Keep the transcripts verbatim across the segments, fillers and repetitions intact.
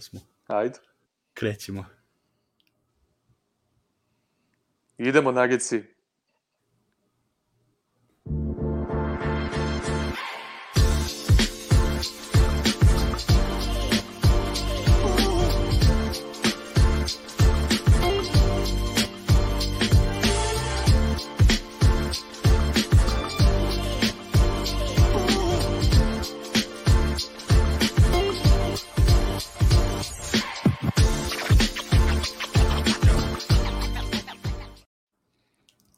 Smo. Ajde. Krećemo. Idemo, Nuggetsi.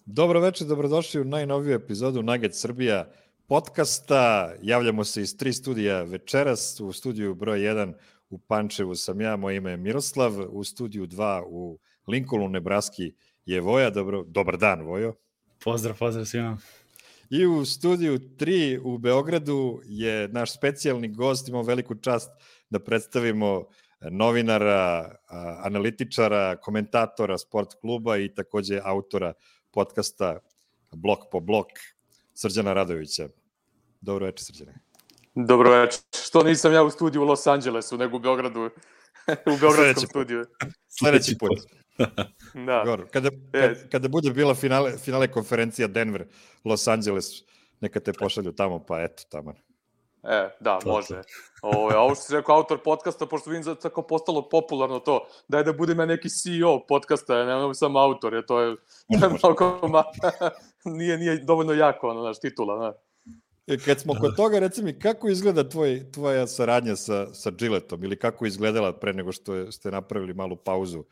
Dobro večer, dobrodošli u najnoviju epizodu Nugget Srbija podcasta. Javljamo se iz tri studija večeras. U studiju broj jedan u Pančevu sam ja, moje ime je Miroslav. U studiju dva u Lincolnu, Nebraski je Voja. Dobro, dobar dan, Vojo. Pozdrav, pozdrav svima. I u studiju tri u Beogradu je naš specijalni gost. Imamo veliku čast da predstavimo novinara, analitičara, komentatora sport kluba i takođe autora podcasta Blok po blok, Srđana Radovića. Dobro večer, Srđane. Dobro večer. Što nisam ja u studiju u Los Angelesu, nego u Beogradu, u Beogradskom studiju. Sledeći put. Da. Gor. Kada, kada, kada bude bila finale, finale konferencija Denver, Los Angeles, neka te pošalju tamo, pa eto, tamo. E, da, može. O, a ovo što si rekao, autor podcasta, pošto vidim da je tako postalo popularno to, daj da budem ja neki C E O podcasta, ja nemam sam autor, jer to je, to je mnogo, ma, nije, nije dovoljno jako, ono, naš titula, ne. E, kad smo kod toga, reci mi, kako izgleda tvoj, tvoja saradnja sa, sa Gilletom, ili kako je izgledala pre nego što je, ste napravili malu pauzu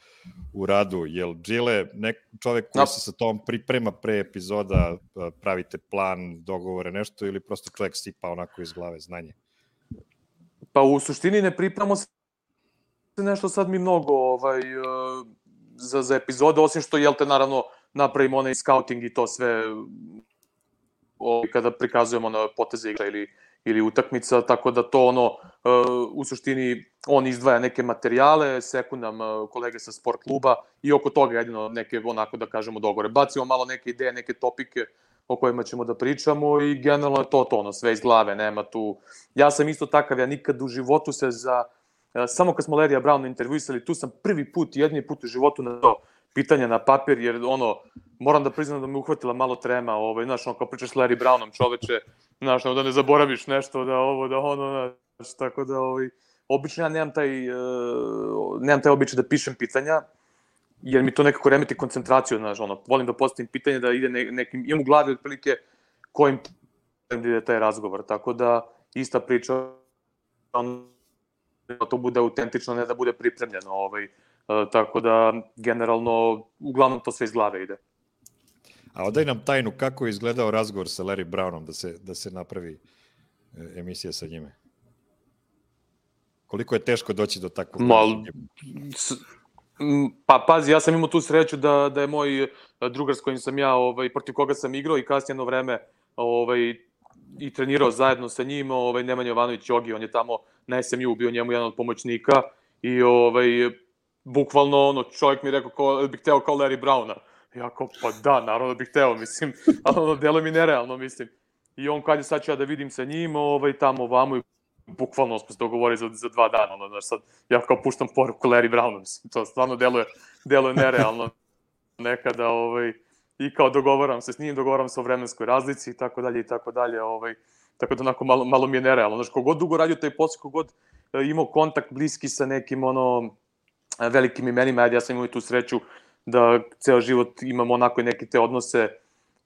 u radu? Jel Gille, nek, čovek koji no. se sa tom priprema pre epizoda, pravite plan, dogovore, nešto, ili prosto čovek sipa onako iz glave znanje? Pa u suštini ne pripremamo se nešto sad mi mnogo ovaj, za, za epizode, osim što, jel te, naravno, napravimo onaj scouting i to sve ovaj, kada prikazujemo na poteze igra ili, ili utakmica, tako da to ono, u suštini, on izdvaja neke materijale, seku nam kolege sa sport kluba i oko toga jedino neke, onako da kažemo, dogovore. Bacimo malo neke ideje, neke topike o kojima ćemo da pričamo i generalno je to to, ono, sve iz glave, nema tu... Ja sam isto takav, ja nikad u životu se za... Samo kad smo Larrya Browna intervjuisali, tu sam prvi put, jedni put u životu na to pitanje na papir, jer ono, moram da priznam da me uhvatila malo trema, ovaj, znaš, ono, kao pričaš s Larry Brownom, čoveče, znaš, da ne zaboraviš nešto, da ovo, da ono, znaš, tako da, ovaj, obično ja nemam taj, uh, nemam taj običaj da pišem pitanja, jer mi to nekako remeti koncentraciju, znaš, ono, volim da postavim pitanje, da ide ne, nekim, imam u glavi otprilike kojim da ide taj razgovor, tako da ista priča, ono, da to bude autentično, ne da bude pripremljeno, ovaj, uh, tako da, generalno, uglavnom to sve iz glave ide. A odaj nam tajnu, kako je izgledao razgovor sa Larry Brownom, da se, da se napravi emisija sa njime? Koliko je teško doći do takvog? Mal, pa pazi, ja sam imao tu sreću da, da je moj drugar s kojim sam ja, ovaj, protiv koga sam igrao i kasnije jedno vreme ovaj, i trenirao zajedno sa njim, ovaj, Nemanja Jovanović Jogi, on je tamo na S M U bio njemu jedan od pomoćnika i ovaj, bukvalno ono, čovjek mi je rekao ko, bih hteo kao Larry Browna. Ja kao, pa da, naravno bih hteo, mislim, ali ono, delo mi nerealno, mislim. I on kad je sad ću ja da vidim sa njim, ovaj, tamo vamo i bukvalno smo se dogovorili za, za dva dana, ono, znaš, sad, ja kao puštam poruku Larry Brownu, mislim, to stvarno deluje, deluje nerealno nekada, ovaj, i kao dogovaram se s njim, dogovaram se o vremenskoj razlici i tako dalje i tako dalje, ovaj, tako da onako malo, malo mi je nerealno, znaš, kogod dugo radio taj posao, kogod imao kontakt bliski sa nekim, ono, velikim imenima, ja sam imao i tu sreću da ceo život imamo onako i neke te odnose,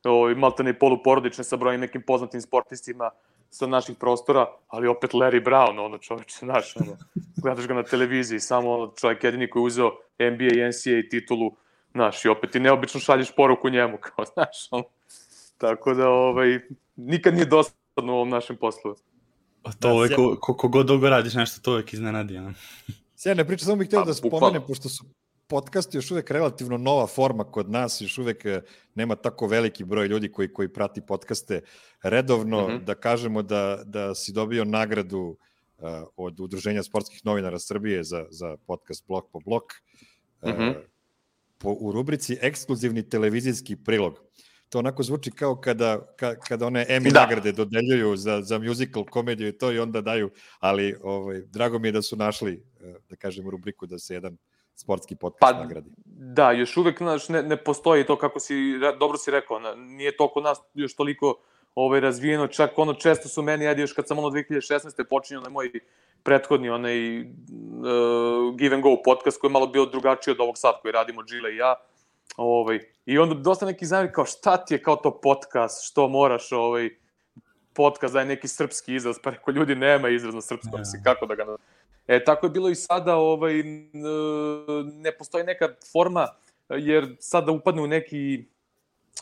ovaj, maltene i poluporodične sa brojim nekim poznatim sportistima sa naših prostora, ali opet Larry Brown, ono, čoveče, znaš, ono, gledaš ga na televiziji, samo ono, čovjek jedini koji je uzeo N B A i N C A A titulu, znaš, i opet ti neobično šalješ poruku njemu, kao, znaš, ono, tako da, ovaj, nikad nije dosadno u ovom našem poslu. A to uvek, ko, ko god dugo radiš nešto, to uvek iznenadi, ja. Sjajne priče, samo bih htio da spomenem, pošto su podcast još uvek relativno nova forma kod nas, još uvek nema tako veliki broj ljudi koji, koji prati podcaste redovno, mm-hmm. da kažemo da, da si dobio nagradu uh, od Udruženja sportskih novinara Srbije za, za podcast Blok po blok, mm-hmm. uh, po, u rubrici ekskluzivni televizijski prilog. to onako zvuči kao kada, ka, kada one Emmy Da. nagrade dodeljuju za, za musical, komediju i to i onda daju, ali ovaj, drago mi je da su našli, da kažem, rubriku da se jedan sportski podcast Pa, nagradi. Da, još uvek znaš, ne, ne postoji to kako si, dobro si rekao, na, nije to kod nas još toliko ovaj, razvijeno, čak ono često su meni, ajde još kad sam ono dve hiljade šesnaeste počinio na moj prethodni onaj uh, Give and Go podcast koji je malo bio drugačiji od ovog sad koji radimo Gile i ja. Ovaj, I onda dosta neki zamjeri kao šta ti je kao to podcast, što moraš ovaj, podcast da je neki srpski izraz, pa reko ljudi nema izraz na srpskom, yeah. Mislim, kako da ga... E, tako je bilo i sada, ovaj, ne postoji neka forma, jer sada upadne u neki,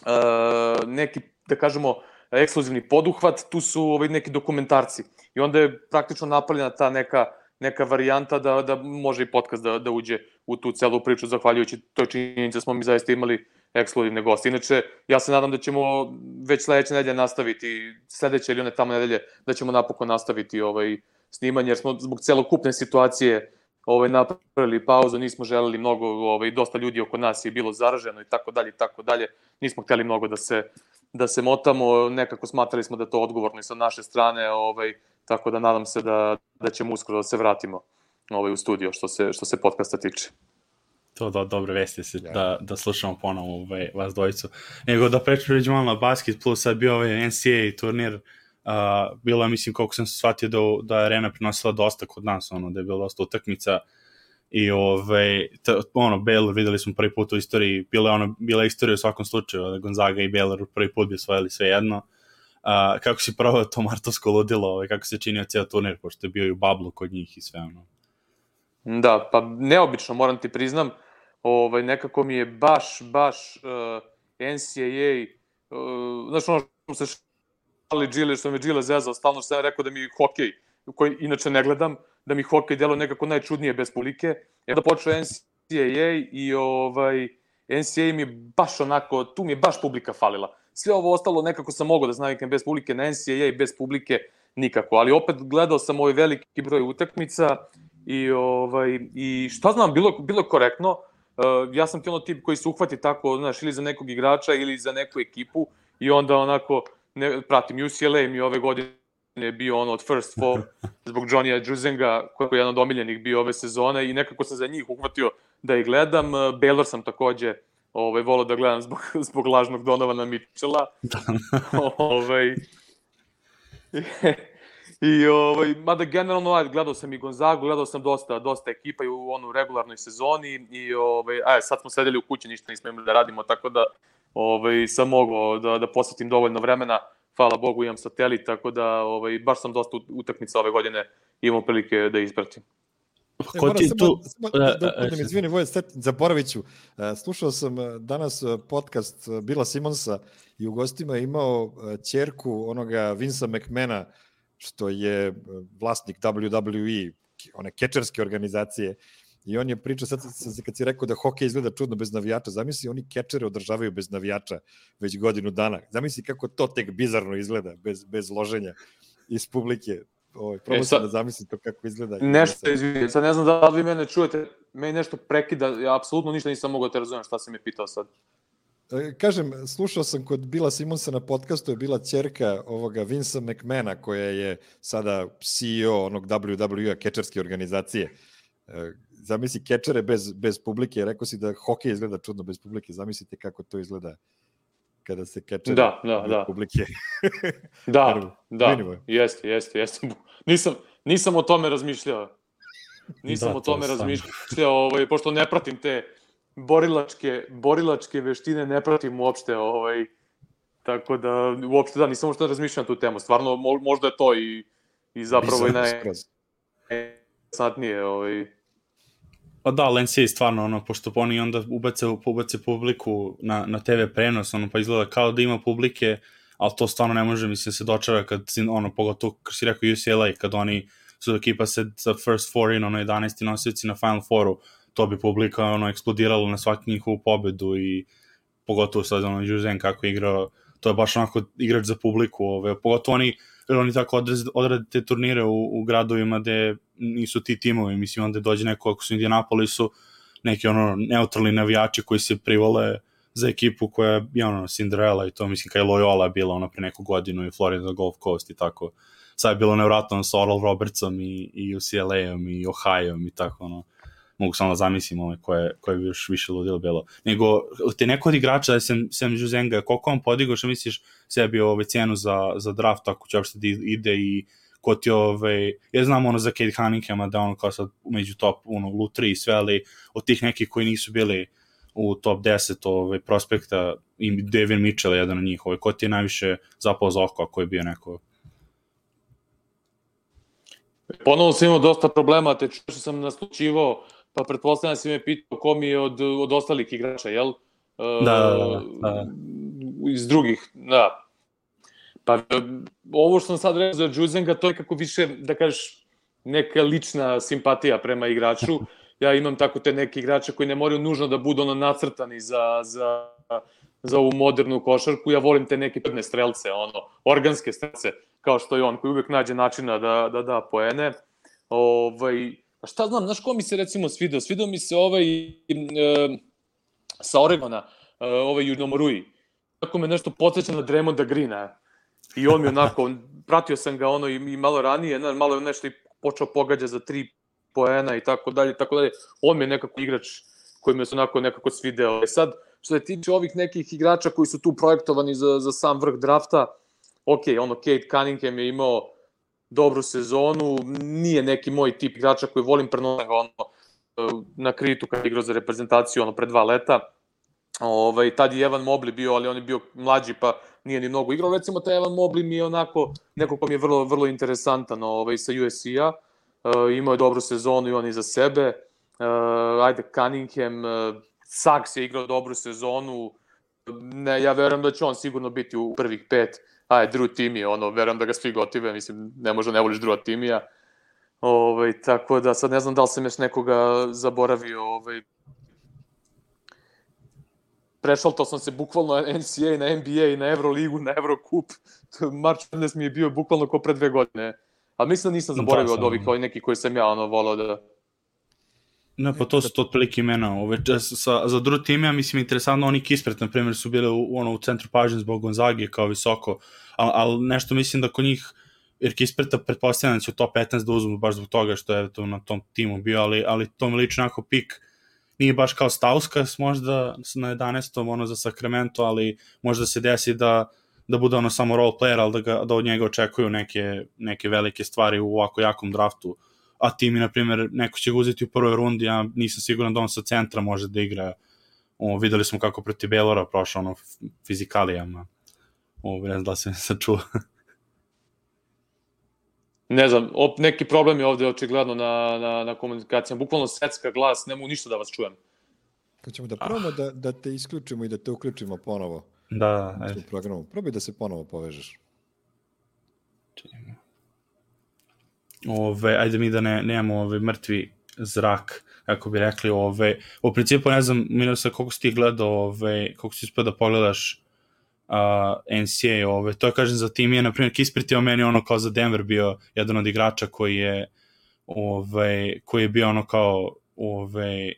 uh, neki, da kažemo, ekskluzivni poduhvat, tu su ovaj, neki dokumentarci. I onda je praktično napravljena ta neka, neka varijanta da, da može i podcast da, da uđe u tu celu priču, zahvaljujući toj činjenici smo mi zaista imali ekskluzivne goste. Inače, ja se nadam da ćemo već sledeće nedelje nastaviti, sledeće ili one tamo nedelje, da ćemo napokon nastaviti ovaj, snimanje, jer smo zbog celokupne situacije ovaj, napravili pauzu, nismo želeli mnogo, ovaj, dosta ljudi oko nas je bilo zaraženo i tako dalje i tako dalje. Nismo hteli mnogo da se, da se motamo, nekako smatrali smo da je to odgovorno i sa naše strane, ovaj, tako da nadam se da, da ćemo uskoro da se vratimo ovaj, u studio što se, što se podcasta tiče. To da, dobre vesti se, ja. da, da slušamo ponovo ovaj, vas dvojicu. Nego da pređemo malo na basket, plus sad bio ovaj N C A A turnir, uh, bilo je, mislim, koliko sam se shvatio da, da je arena prinosila dosta kod nas, ono, da je bilo dosta utakmica i ovaj, t, ono, Baylor videli smo prvi put u istoriji, bila je ono, bila je istorija u svakom slučaju, da Gonzaga i Baylor prvi put bi osvojili sve jedno. Uh, kako si pravio to martovsko ludilo, ovaj, kako se činio cijel turnir, pošto je bio i u bablu kod njih i sve ono. Da, pa neobično, moram ti priznam, ovaj, nekako mi je baš, baš uh, N C A A, uh, znaš ono što se šali Gile, što me Gile zezao, stalno što sam rekao da mi hokej, koji inače ne gledam, da mi hokej delo nekako najčudnije bez publike, i onda počeo N C A A i ovaj, N C A A mi je baš onako, tu mi je baš publika falila. Sve ovo ostalo nekako sam mogao da znavikam bez publike, na N C A A bez publike nikako, ali opet gledao sam ovaj veliki broj utakmica i, ovaj, i šta znam, bilo, bilo je korektno. Uh, ja sam ti ono tip koji se uhvati tako, znaš, ili za nekog igrača ili za neku ekipu i onda onako ne, pratim U C L A mi ove godine je bio ono od first four zbog Johnny'a Juzenga koji je jedan od omiljenih bio ove sezone i nekako sam za njih uhvatio da ih gledam. Uh, Baylor sam takođe ovaj, volao da gledam zbog, zbog lažnog Donovana Mitchella. ovaj, I, ovaj, mada generalno, ajde, gledao sam i Gonzagu, gledao sam dosta, dosta ekipa i u onu regularnoj sezoni i, ovaj, ajde, sad smo sedeli u kući, ništa nismo imali da radimo, tako da ovaj, sam mogao da, da posvetim dovoljno vremena, hvala Bogu imam satelit, tako da ovaj, baš sam dosta utakmica ove godine imao prilike da ispratim. E, moram samo, tu... samo da, da, da mi izvini, Voje, zaboravit ću. Slušao sam danas podcast Billa Simonsa i u gostima je imao ćerku onoga Vinca McMahona, što je vlasnik W W E, one kečerske organizacije, i on je pričao, sad kad si rekao da hokej izgleda čudno bez navijača, zamisli, oni kečere održavaju bez navijača već godinu dana. Zamisli kako to tek bizarno izgleda, bez, bez loženja iz publike. Ovaj, probao e, sam da zamislim to kako izgleda. Nešto, izvijem, sad ne znam da li vi mene čujete, meni nešto prekida, ja apsolutno ništa nisam mogao da te razumijem šta si mi pitao sad. Kažem, slušao sam kod Billa Simonsa na podcastu, je bila ćerka ovoga Vinca McMahona, koja je sada C E O onog W W E, kečerske organizacije. Zamisli kečere bez, bez publike, rekao si da hokej izgleda čudno bez publike, zamislite kako to izgleda kada se kečere da, da, bez da. publike. da, da, jeste, jeste, jeste. Nisam, nisam o tome razmišljao. Nisam da, o tome razmišljao, ovaj, pošto ne pratim te borilačke, borilačke veštine, ne pratim uopšte, ovaj, tako da, uopšte da, nisam uopšte razmišljao na tu temu. Stvarno, možda je to i, i zapravo i najsnatnije, ovaj. Pa da, N C A A stvarno, ono, pošto oni onda ubace, ubace publiku na, na T V prenos, ono, pa izgleda kao da ima publike, ali to stvarno ne može, mislim, se dočara kad, ono, pogotovo, kao si rekao U C L A, kad oni su ekipa se sa first four in, ono, jedanaesti nosioci na Final Fouru, to bi publika, ono, eksplodiralo na svaku njihovu pobedu i pogotovo sad, ono, Juzen kako je igrao, to je baš onako igrač za publiku, ove, pogotovo oni, jer oni tako odrade te turnire u, u gradovima gde nisu ti timovi, mislim, onda dođe neko, ako su u Indianapolisu, neki ono neutralni navijači koji se privole za ekipu koja je ono, Cinderella i to, mislim, kada je Loyola bila ono pre neku godinu i Florida Gulf Coast i tako. Sad je bilo nevratno sa Oral Robertsom i, i U C L A-om i Ohio-om i tako, ono, mogu samo da zamislim ove koje, koje bi još više ludilo bilo. Nego, te neko od igrača, da sem, sem Juzenga, koliko on podigao, što misliš sebi ove cenu za, za draft, ako će uopšte da ide i ko ti ove, ja znam ono za Cade Cunninghama da ono kao sad među top ono, lu tri i sve, ali od tih nekih koji nisu bili u top deset ove, prospekta i Devin Mitchell je jedan od njih, ove, ko ti je najviše zapao za oko ako je bio neko? Ponovno sam imao dosta problema, te što sam naslučivao, pa pretpostavljam da si me pitao ko mi je od, od ostalih igrača, jel? Da, da, da, da. Iz drugih, da. Pa ovo što sam sad rekao za Juzenga, to je kako više, da kažeš, neka lična simpatija prema igraču. Ja imam tako te neke igrače koji ne moraju nužno da budu ono nacrtani za, za, za ovu modernu košarku. Ja volim te neke predne strelce, ono, organske strelce, kao što je on, koji uvek nađe načina da da, da poene. Ovaj, a šta znam, znaš ko mi se recimo svidao? Svidao mi se ovaj e, sa Oregona, e, ovaj Junomorui. Tako me nešto podsjeća na Draymonda Greena. I on mi onako, pratio sam ga ono i, i malo ranije, ne, malo nešto i počeo pogađa za tri poena i tako dalje, tako dalje. On mi je nekako igrač koji me se onako nekako svideo. E sad, što se tiče ovih nekih igrača koji su tu projektovani za, za sam vrh drafta, ok, ono, Cade Cunningham je imao dobru sezonu, nije neki moj tip igrača koji volim prenoga ono, na kritu kad je igrao za reprezentaciju ono, pre dva leta. Ovaj, tad je Evan Mobley bio, ali on je bio mlađi pa nije ni mnogo igrao. Recimo, taj Evan Mobley mi je onako, neko ko mi je vrlo, vrlo interesantan ovaj, sa U S C-a. Uh, imao je dobru sezonu i on iza sebe. Uh, ajde, Cunningham, uh, Saks je igrao dobru sezonu. Ne, ja verujem da će on sigurno biti u prvih pet. Ajde, Drew Timmy, ono, verujem da ga svi gotive, mislim, ne može ne voliš Drewa Timija. Ovaj, tako da sad ne znam da li sam još nekoga zaboravio, ovaj, prešaltao sam se bukvalno na N C A A, na N B A, na Euroligu, na Eurocup. March Madness mi je bio bukvalno ko pre dve godine. Ali mislim da nisam zaboravio od ovih ovih neki koji sam ja ono volao da... Ne, pa to su to otprilike imena. Ove, sa, za Drew Timija, mislim, interesantno, oni Kispert, na primjer, su bili u, ono, u centru pažnje zbog Gonzage kao visoko, ali al nešto mislim da kod njih, jer Kisperta pretpostavljam da će u top petnaest da uzmu baš zbog toga što je to na tom timu bio, ali, ali to mi liči onako pik, nije baš kao Stauskas možda na jedanaestom ono za Sacramento, ali možda se desi da da bude ono samo role player, ali da, ga, da od njega očekuju neke, neke velike stvari u ovako jakom draftu. A ti mi, na primjer, neko će ga uzeti u prvoj rundi, ja nisam siguran da on sa centra može da igra. O, videli smo kako protiv Baylora prošao ono fizikalijama. O, ne znam da se sad čuo. Ne znam, op, neki problem je ovde očigledno na, na, na komunikacijama. Bukvalno secka glas, ne mogu ništa da vas čujem. Kad ćemo da probamo da, da te isključimo i da te uključimo ponovo. Da, ajde. U programu. Probaj da se ponovo povežeš. Ove, ajde mi da ne, nemamo ove mrtvi zrak, kako bi rekli, ove, u principu ne znam, Milosa, koliko si ti gledao, ove, koliko si uspio da pogledaš uh, N C A A, ove, to je, kažem, za tim je, na primjer, Kispert je o meni ono kao za Denver bio jedan od igrača koji je, ove, koji je bio ono kao, ove,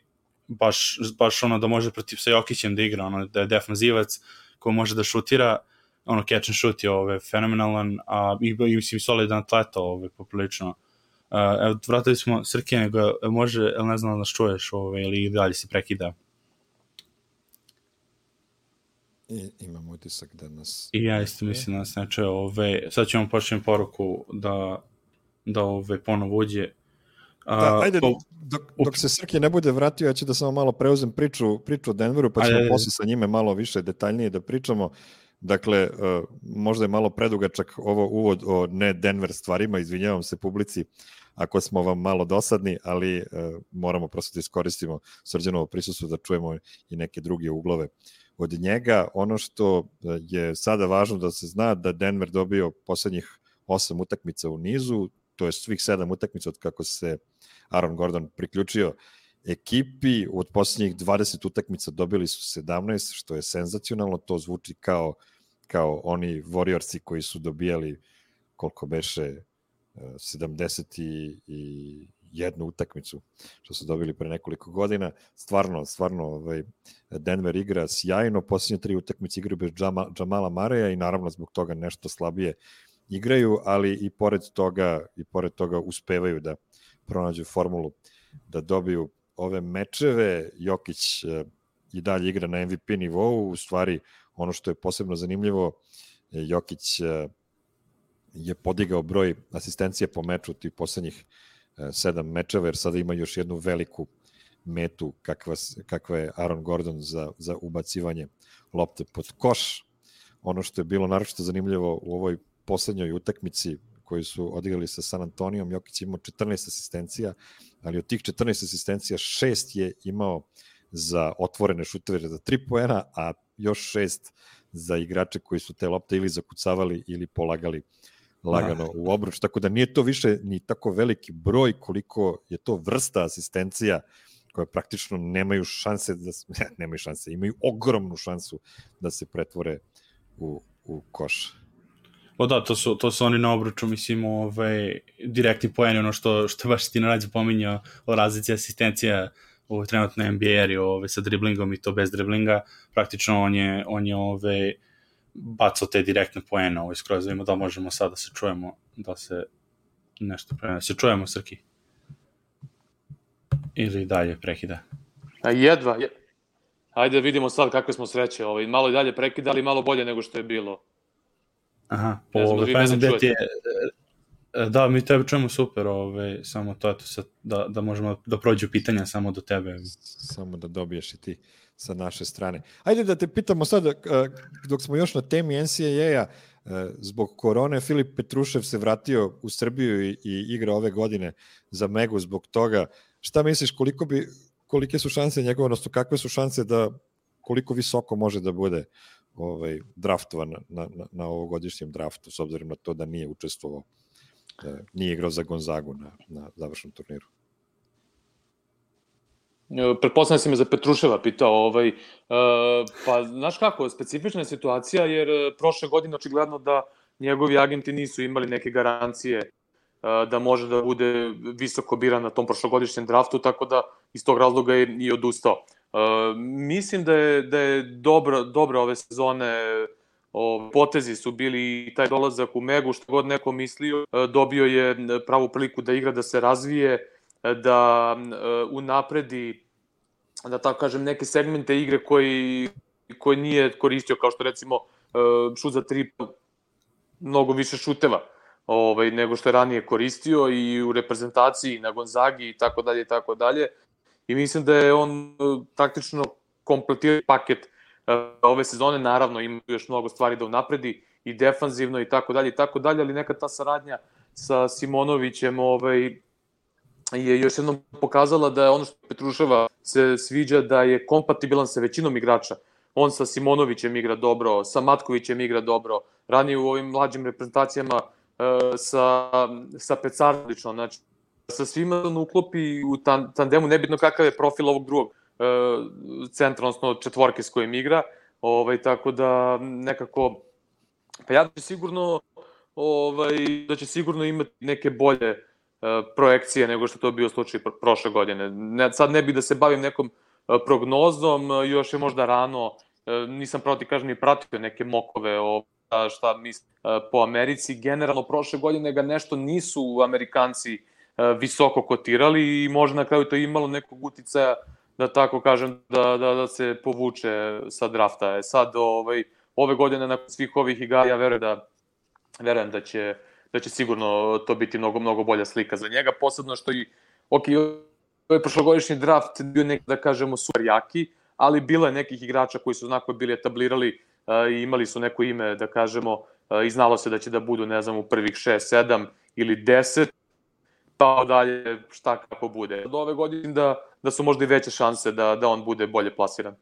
baš, baš ono da može protiv sa Jokićem da igra, ono da je defanzivac koji može da šutira, ono catch and shoot je ove, fenomenalan, a i, i mislim solidan atleta ove, poprilično. Uh, evo, vratili smo Srke, nego može, el ne znam da nas čuješ ove, ili dalje si prekida. I, imam utisak da nas... I ja isto mislim da nas ne čuje. Ove, sad ćemo početi poruku da, da ove, ponovo uđe. Uh, da, ajde, dok, dok se Srke ne bude vratio, ja ću da samo malo preuzem priču, priču o Denveru, pa ćemo ajde, posle sa njime malo više detaljnije da pričamo. Dakle, uh, možda je malo predugačak ovo uvod o ne Denver stvarima, izvinjavam se publici ako smo vam malo dosadni, ali uh, moramo prosto da iskoristimo Srđanovo prisustvo da čujemo i neke druge uglove od njega. Ono što je sada važno da se zna da Denver dobio poslednjih osam utakmica u nizu, to je svih sedam utakmica od kako se Aaron Gordon priključio ekipi, od poslednjih dvadeset utakmica dobili su sedamnaest, što je senzacionalno, to zvuči kao, kao oni Warriorsi koji su dobijali koliko beše sedamdeset jednu utakmicu što su dobili pre nekoliko godina. Stvarno, stvarno ovaj, Denver igra sjajno, posljednje tri utakmice igraju bez Džama, Džamala Mareja i naravno zbog toga nešto slabije igraju, ali i pored toga, i pored toga uspevaju da pronađu formulu da dobiju ove mečeve. Jokić eh, i dalje igra na M V P nivou, u stvari ono što je posebno zanimljivo, Jokić eh, je podigao broj asistencija po meču tih poslednjih eh, sedam mečeva, jer sada ima još jednu veliku metu kakva, kakva je Aaron Gordon za, za ubacivanje lopte pod koš. Ono što je bilo naročito zanimljivo u ovoj poslednjoj utakmici koju su odigrali sa San Antonijom, Jokić imao četrnaest asistencija, ali od tih četrnaest asistencija šest je imao za otvorene šuteve za tri poena, a još šest za igrače koji su te lopte ili zakucavali ili polagali lagano ah. u obruč, tako da nije to više ni tako veliki broj koliko je to vrsta asistencija koje praktično nemaju šanse, da, ne, nemaju šanse, imaju ogromnu šansu da se pretvore u, u koš. O da, to su, to su oni na obruču, mislim, ovaj, direktni poeni, ono što, što baš ti nađe pominjao o razlici asistencija u trenutno N B A-eri ovaj, sa driblingom i to bez driblinga, praktično on je, on je ovaj, bacao te direktne poene ovaj, skroz, da, da možemo sad da se čujemo, da se nešto prema, se čujemo, Srki? Ili dalje prekida? A jedva, je... Ajde da vidimo sad kakve smo sreće, ovaj, malo i dalje prekida, ali malo bolje nego što je bilo. Aha, po ove, pa znam gde ti je, da, mi tebe čujemo super, ove, samo to, eto, sad, da, da možemo da prođu pitanja samo do tebe. Samo da dobiješ i ti sa naše strane. Ajde da te pitamo sad, dok smo još na temi N C A A-a, zbog korone, Filip Petrušev se vratio u Srbiju i, i igra ove godine za Megu zbog toga. Šta misliš, koliko bi, kolike su šanse njegove, odnosno kakve su šanse da, koliko visoko može da bude ovaj, draftovan na, na, na ovogodišnjem draftu, s obzirom na to da nije učestvovao, nije igrao za Gonzagu na, na završnom turniru? Pretpostavljam si me za Petruševa pitao, ovaj, uh, pa znaš kako, specifična je situacija, jer prošle godine očigledno da njegovi agenti nisu imali neke garancije uh, da može da bude visoko biran na tom prošlogodišnjem draftu, tako da iz tog razloga je i odustao. Uh, mislim da je, da je dobro, dobro ove sezone, o, potezi su bili i taj dolazak u Megu, što god neko mislio, uh, dobio je pravu priliku da igra, da se razvije, da uh, unapredi, da tako kažem, neke segmente igre koji, koji nije koristio, kao što recimo uh, šut za tri, mnogo više šuteva ovaj, nego što je ranije koristio i u reprezentaciji na Gonzagi i tako dalje i tako dalje. I mislim da je on uh, praktično kompletirao paket uh, ove sezone, naravno ima još mnogo stvari da unapredi i defanzivno i tako dalje i tako dalje, ali neka ta saradnja sa Simonovićem ovaj, je još jednom pokazala da je ono što Petruševa se sviđa, da je kompatibilan sa većinom igrača. On sa Simonovićem igra dobro, sa Matkovićem igra dobro, ranije u ovim mlađim reprezentacijama sa, sa Pecarlično, znači sa svima on uklopi u tandemu, nebitno kakav je profil ovog drugog centra, odnosno četvorke s kojim igra, ovaj, tako da nekako, pa ja da će sigurno, ovaj, da će sigurno imati neke bolje projekcije nego što to bio slučaj prošle godine. Ne, sad ne bih da se bavim nekom prognozom, još je možda rano, nisam pravo ti kažem ni pratio neke mokove o šta mislim po Americi. Generalno prošle godine ga nešto nisu Amerikanci visoko kotirali i možda na kraju to imalo nekog uticaja, da tako kažem, da, da, da se povuče sa drafta. Sad ovaj, ove godine nakon svih ovih igara ja verujem da, verujem da će da će sigurno to biti mnogo, mnogo bolja slika za njega, posebno što i, ok, ovaj prošlogodišnji draft bio neki, da kažemo, super jaki, ali bilo je nekih igrača koji su onako bili etablirali uh, i imali su neko ime, da kažemo, uh, i znalo se da će da budu, ne znam, u prvih šest, sedam ili deset, pa dalje šta kako bude. Od ove godine da, da su možda i veće šanse da, da on bude bolje plasiran.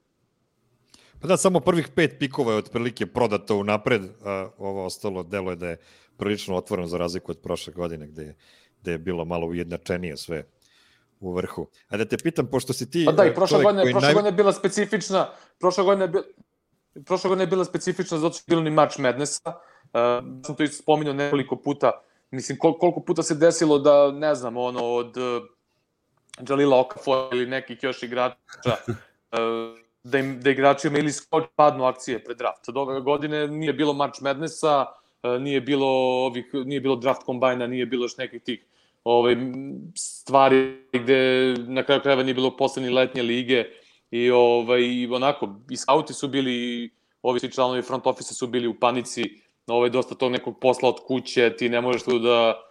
Pa da, samo prvih pet pikova je otprilike prodato unapred, a ovo ostalo delo je da je prilično otvoreno za razliku od prošle godine gde je, gde je bilo malo ujednačenije sve u vrhu. A da te pitam, pošto si ti... Pa da, i prošle godine, prošle naj... godine je bila specifična, prošle godine je bila, prošle godine je bila specifična zato što je bilo ni March Madnessa. Uh, sam to isto spominjao nekoliko puta. Mislim, kol, koliko puta se desilo da, ne znam, ono, od Jalila Okafor ili nekih još igrača, da, im, da igrači imali skoč padnu akcije pred draft. Od ove godine nije bilo March Madnessa, nije bilo, ovih, nije bilo draft kombajna, nije bilo još nekih tih ovaj, stvari gde na kraju krajeva nije bilo poslednje letnje lige i ovaj, onako, i skauti su bili, ovi svi članovi front office su bili u panici, ovaj, dosta tog nekog posla od kuće, ti ne možeš tu da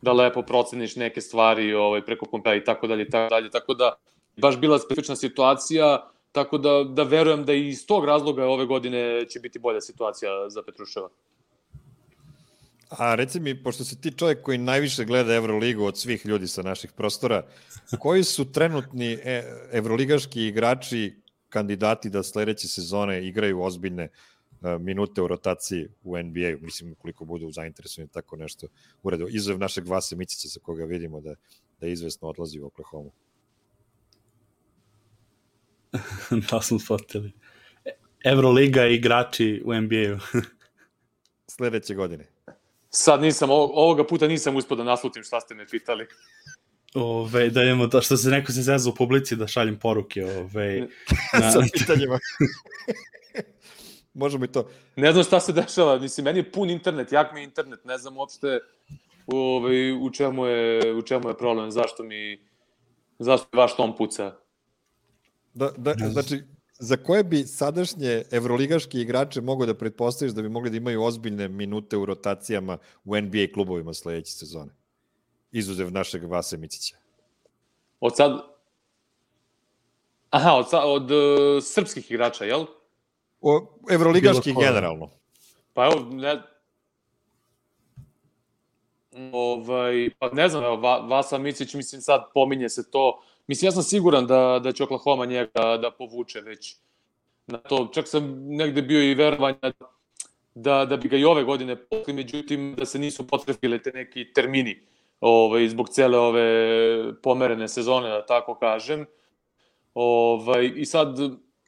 da lepo proceniš neke stvari ovaj, preko kompera i tako dalje i tako dalje, tako da baš bila specifična situacija, tako da, da verujem da i iz tog razloga ove godine će biti bolja situacija za Petruševa. A reci mi, pošto si ti čovjek koji najviše gleda Evroligu od svih ljudi sa naših prostora, koji su trenutni evroligaški igrači kandidati da sledeće sezone igraju ozbiljne minute u rotaciji u N B A-u, mislim koliko budu zainteresovani tako nešto uredu, izuzev našeg Vase Micića sa koga vidimo da, da izvesno odlazi u Oklahoma. Da smo shvatili. Evroliga i igrači u N B A-u. Sledeće godine. Sad nisam, ovoga puta nisam uspio da naslutim šta ste me pitali. Ove, da imamo to, što se neko se zezao u publici da šaljem poruke. Ove, na... Sa pitanjima. Možemo i to. Ne znam šta se dešava, mislim, meni je pun internet, jak mi je internet, ne znam uopšte ovaj, u, čemu je, u čemu je problem, zašto mi, zašto mi vaš tom puca. Da, da, znači, za koje bi sadašnje evroligaški igrače mogo da pretpostaviš da bi mogli da imaju ozbiljne minute u rotacijama u N B A klubovima sledeće sezone? Izuzev našeg Vase Micića. Od sad... Aha, od, sad, od uh, srpskih igrača, jel? O, evroligaški generalno. Pa evo, ne... Ovaj, pa ne znam, evo, Vasa Micić, mislim, sad pominje se to. Mislim, ja sam siguran da, da će Oklahoma njega da povuče već na to. Čak sam negde bio i verovanja da, da bi ga i ove godine povukli, međutim, da se nisu potrefile te neki termini ovaj, zbog cele ove pomerene sezone, da tako kažem. Ovaj, I sad,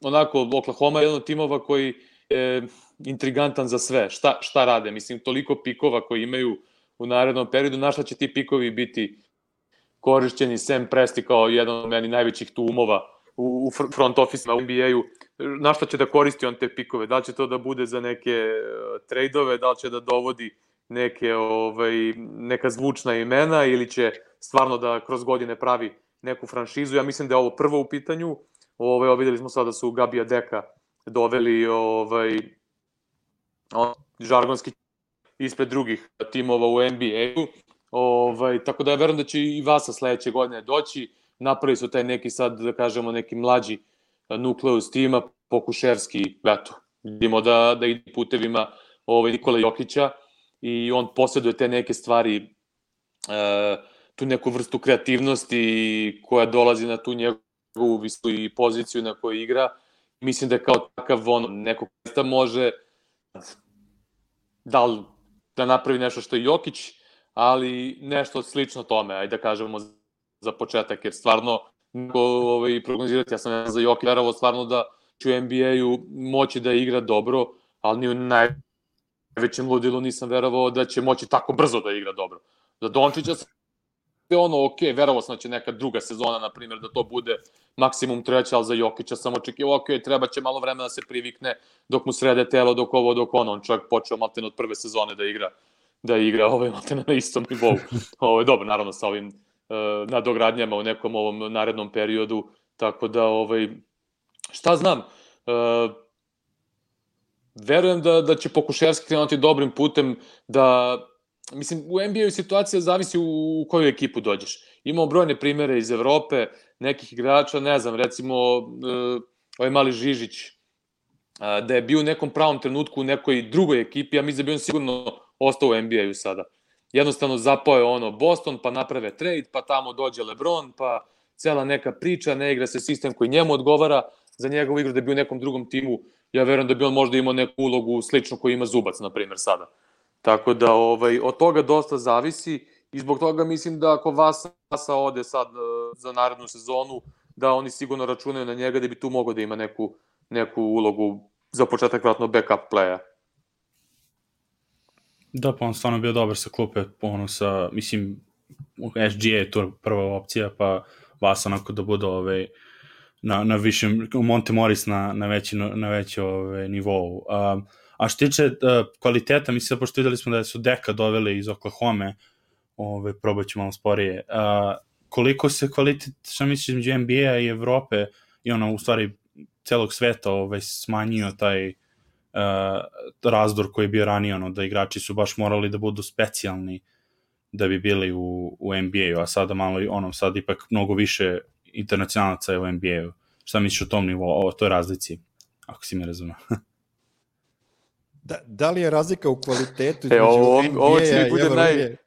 onako, Oklahoma je jedan od timova koji je intrigantan za sve. Šta, šta rade? Mislim, toliko pikova koji imaju u narednom periodu, na šta će ti pikovi biti korišćeni, Sam Presti kao jedan od meni najvećih tu umova u, u front office-ma u N B A-u, na šta će da koristi on te pikove? Da li će to da bude za neke uh, trejdove, da li će da dovodi neke, ovaj, neka zvučna imena ili će stvarno da kroz godine pravi neku franšizu? Ja mislim da je ovo prvo u pitanju. Ovaj, videli smo sada da su Gabija Deka doveli ovaj, on, žargonski ispred drugih timova u N B A-u. Ovaj, tako da ja verujem da će i Vasa sledeće godine doći. Napravili su taj neki sad, da kažemo, neki mlađi nukleus tima, Pokuševski, eto, vidimo da, da ide putevima ovaj, Nikola Jokića i on posjeduje te neke stvari, e, tu neku vrstu kreativnosti koja dolazi na tu njegovu visu i poziciju na kojoj igra. Mislim da je kao takav on, neko mesta može da li da napravi nešto što je Jokić, ali nešto slično tome, ajde da kažemo za početak, jer stvarno ovaj, prognozirati, ja sam ne za Jokić verovao stvarno da će u N B A-u moći da igra dobro, ali ni u najvećem ludilu nisam verovao da će moći tako brzo da igra dobro. Za Dončića je ono, ok, verovao sam da će neka druga sezona, na primjer, da to bude maksimum treća, ali za Jokića sam očekivao, ok, treba će malo vremena da se privikne dok mu srede telo, dok ovo, dok ono, on čovjek počeo maltene od prve sezone da igra da igra ovaj maltene na istom nivou. Ovo je dobro, naravno, sa ovim uh, nadogradnjama u nekom ovom narednom periodu, tako da, ovaj, šta znam, uh, verujem da, da će Pokuševski krenuti dobrim putem, da, mislim, u N B A-u situacija zavisi u, u koju ekipu dođeš. Imamo brojne primere iz Evrope, nekih igrača, ne znam, recimo, uh, ovaj mali Žižić, uh, da je bio u nekom pravom trenutku u nekoj drugoj ekipi, ja mislim da bi on sigurno ostao u N B A-u sada. Jednostavno zapao je ono Boston, pa naprave trade, pa tamo dođe LeBron, pa cela neka priča, ne igra se sistem koji njemu odgovara za njegovu igru da bi u nekom drugom timu. Ja verujem da bi on možda imao neku ulogu sličnu koju ima Zubac, na primjer, sada. Tako da ovaj, od toga dosta zavisi i zbog toga mislim da ako Vasa, Vasa ode sad za narednu sezonu, da oni sigurno računaju na njega da bi tu mogao da ima neku, neku ulogu za početak vratno backup playa. Da, pa on stvarno bio dobar sa klupe, ono sa, mislim, S G A je to prva opcija, pa vas onako da bude ovaj, na, na višem, Monte Morris na, na veći, na veći ovaj, nivou. Um, a što tiče uh, kvaliteta, mislim, pošto videli smo da su Deka doveli iz Oklahoma, ovaj, probat ću malo sporije, uh, koliko se kvalitet, šta misliš, između N B A i Evrope i ono, u stvari, celog sveta ovaj, smanjio taj uh, razdor koji je bio ranije, ono, da igrači su baš morali da budu specijalni da bi bili u, u N B A-u, a sada malo, ono, sad ipak mnogo više internacionalaca je u N B A-u. Šta misliš o tom nivou, o toj razlici, ako si me razumio? da, da li je razlika u kvalitetu između e, N B A-a i Evrope? Naj...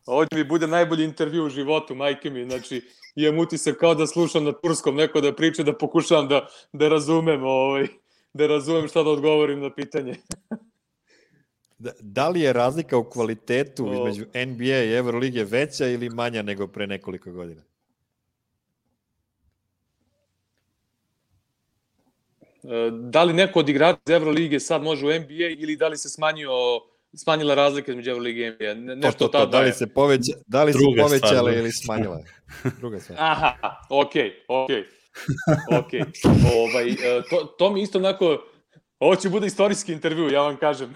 Ovo će mi bude najbolji intervju u životu, majke mi, znači, imam utisak kao da slušam na turskom neko da priča, da pokušavam da, da razumem ovaj, da razumem šta da odgovorim na pitanje. Da, da li je razlika u kvalitetu o... između N B A i Evrolige veća ili manja nego pre nekoliko godina? Da li neko od igrača iz Evrolige sad može u N B A ili da li se smanjio, smanjila razlika između Evrolige i N B A? Ne, nešto to, to, to, da li se, poveća, da li se povećala ili smanjila? Druga stvar. Aha, okej, okej. Okej. Ovaj, to, to mi isto onako... Ovo će bude istorijski intervju, ja vam kažem.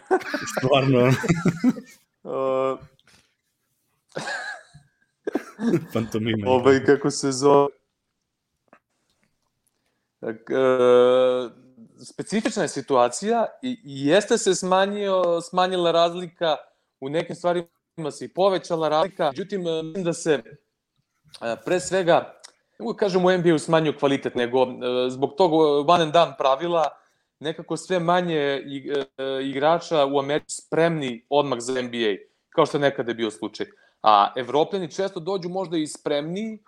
Stvarno. uh, Pantomime. Ovaj, kako se zove... Uh, specifična je situacija i, i jeste se smanjio, smanjila razlika, u nekim stvarima se i povećala razlika, međutim, mislim da se uh, pre svega, ne mogu kažem u N B A-u smanjio kvalitet, nego uh, zbog tog one and done pravila, nekako sve manje igrača u Americi spremni odmah za N B A, kao što je nekada je bio slučaj. A Evropljani često dođu možda i spremni,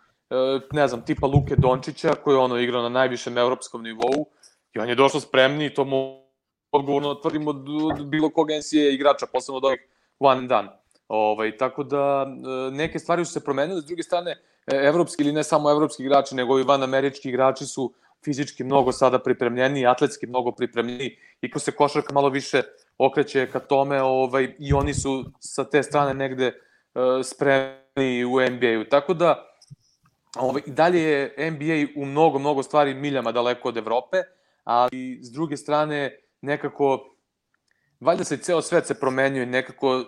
ne znam, tipa Luke Dončića, koji je ono igrao na najvišem evropskom nivou, i on je došao spremni i to mu odgovorno tvrdimo od bilo koga N C A A igrača, posebno od ovih one and done. Ovaj, tako da neke stvari su se promenile, s druge strane, evropski ili ne samo evropski igrači, nego i van američki igrači su fizički mnogo sada pripremljeni, atletski mnogo pripremljeni i ko se košarka malo više okreće ka tome, ovaj, i oni su sa te strane negde uh, spremni u N B A-u. Tako da, ovaj, dalje je N B A u mnogo, mnogo stvari miljama daleko od Evrope, ali s druge strane nekako, valjda se ceo svet se promenio i nekako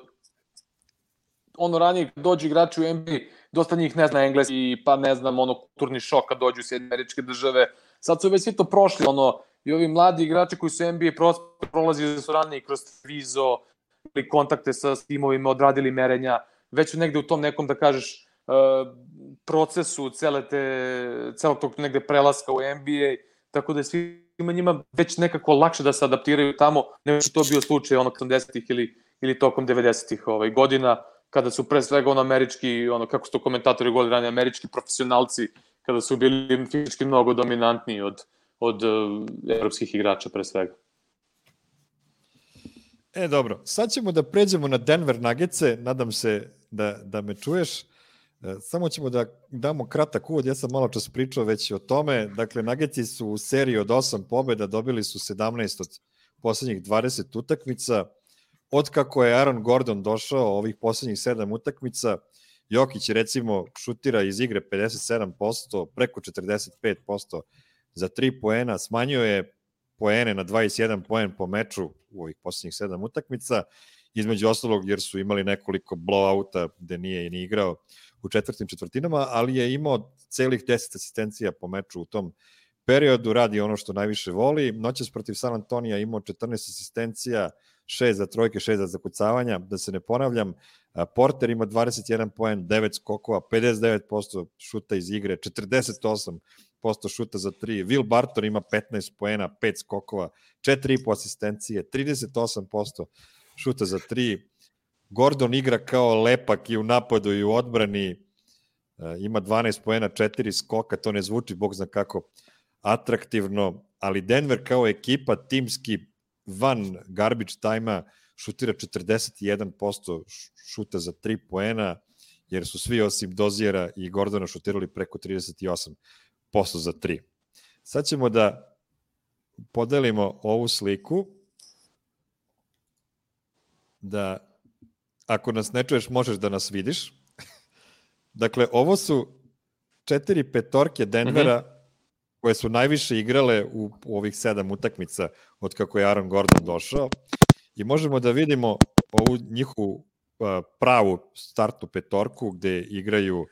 ono ranije dođu igrači u N B A, dosta njih ne zna engleski, pa ne znam, ono, kulturni šok kad dođu u Sjedinjene Američke Države. Sad su već svi to prošli, ono, i ovi mladi igrači koji su N B A prolazi da su ranije kroz vizo ili kontakte sa timovima, odradili merenja, već su negde u tom nekom, da kažeš, procesu cele te, celog tog negde prelaska u N B A, tako da je svima njima već nekako lakše da se adaptiraju tamo, nego što to bio slučaj ono osamdesetih ili, ili tokom devedesetih ovaj, godina, kada su pre svega ono američki, ono kako su to komentatori govorili ranije, američki profesionalci, kada su bili fizički mnogo dominantniji od, od uh, evropskih igrača pre svega. E, dobro. Sad ćemo da pređemo na Denver Nuggetse, nadam se da, da me čuješ. E, samo ćemo da damo kratak uvod, ja sam malo čas pričao već o tome. Dakle, Nuggetsi su u seriji od osam pobjeda, dobili su sedamnaest od poslednjih dvadeset utakmica. Otkako je Aaron Gordon došao, ovih poslednjih sedam utakmica, Jokić recimo šutira iz igre pedeset sedam posto, preko četrdeset pet posto za tri poena, smanjio je poene na dvadeset jedan poen po meču u ovih poslednjih sedam utakmica, između ostalog jer su imali nekoliko blowouta gde nije ni igrao u četvrtim četvrtinama, ali je imao celih deset asistencija po meču u tom periodu, radi ono što najviše voli. Noćas protiv San Antonija imao četrnaest asistencija, šest za trojke, šest za zakucavanja, da se ne ponavljam. Porter ima dvadeset jedan poen, devet skokova, pedeset devet posto šuta iz igre, četrdeset osam posto šuta za tri. Will Barton ima petnaest poena, pet skokova, četiri i po asistencije, trideset osam posto šuta za tri. Gordon igra kao lepak i u napadu i u odbrani, ima dvanaest poena, četiri skoka, to ne zvuči, bog zna kako, atraktivno, ali Denver kao ekipa timski van garbage time-a šutira četrdeset jedan posto šuta za tri poena, jer su svi osim Dozijera i Gordona šutirali preko trideset osam posto za tri. Sad ćemo da podelimo ovu sliku, da ako nas ne čuješ, možeš da nas vidiš. Dakle, ovo su četiri petorke Denvera mm-hmm. koje su najviše igrale u, u ovih sedam utakmica od kako je Aaron Gordon došao i možemo da vidimo ovu njihovu uh, pravu startnu petorku gde igraju uh,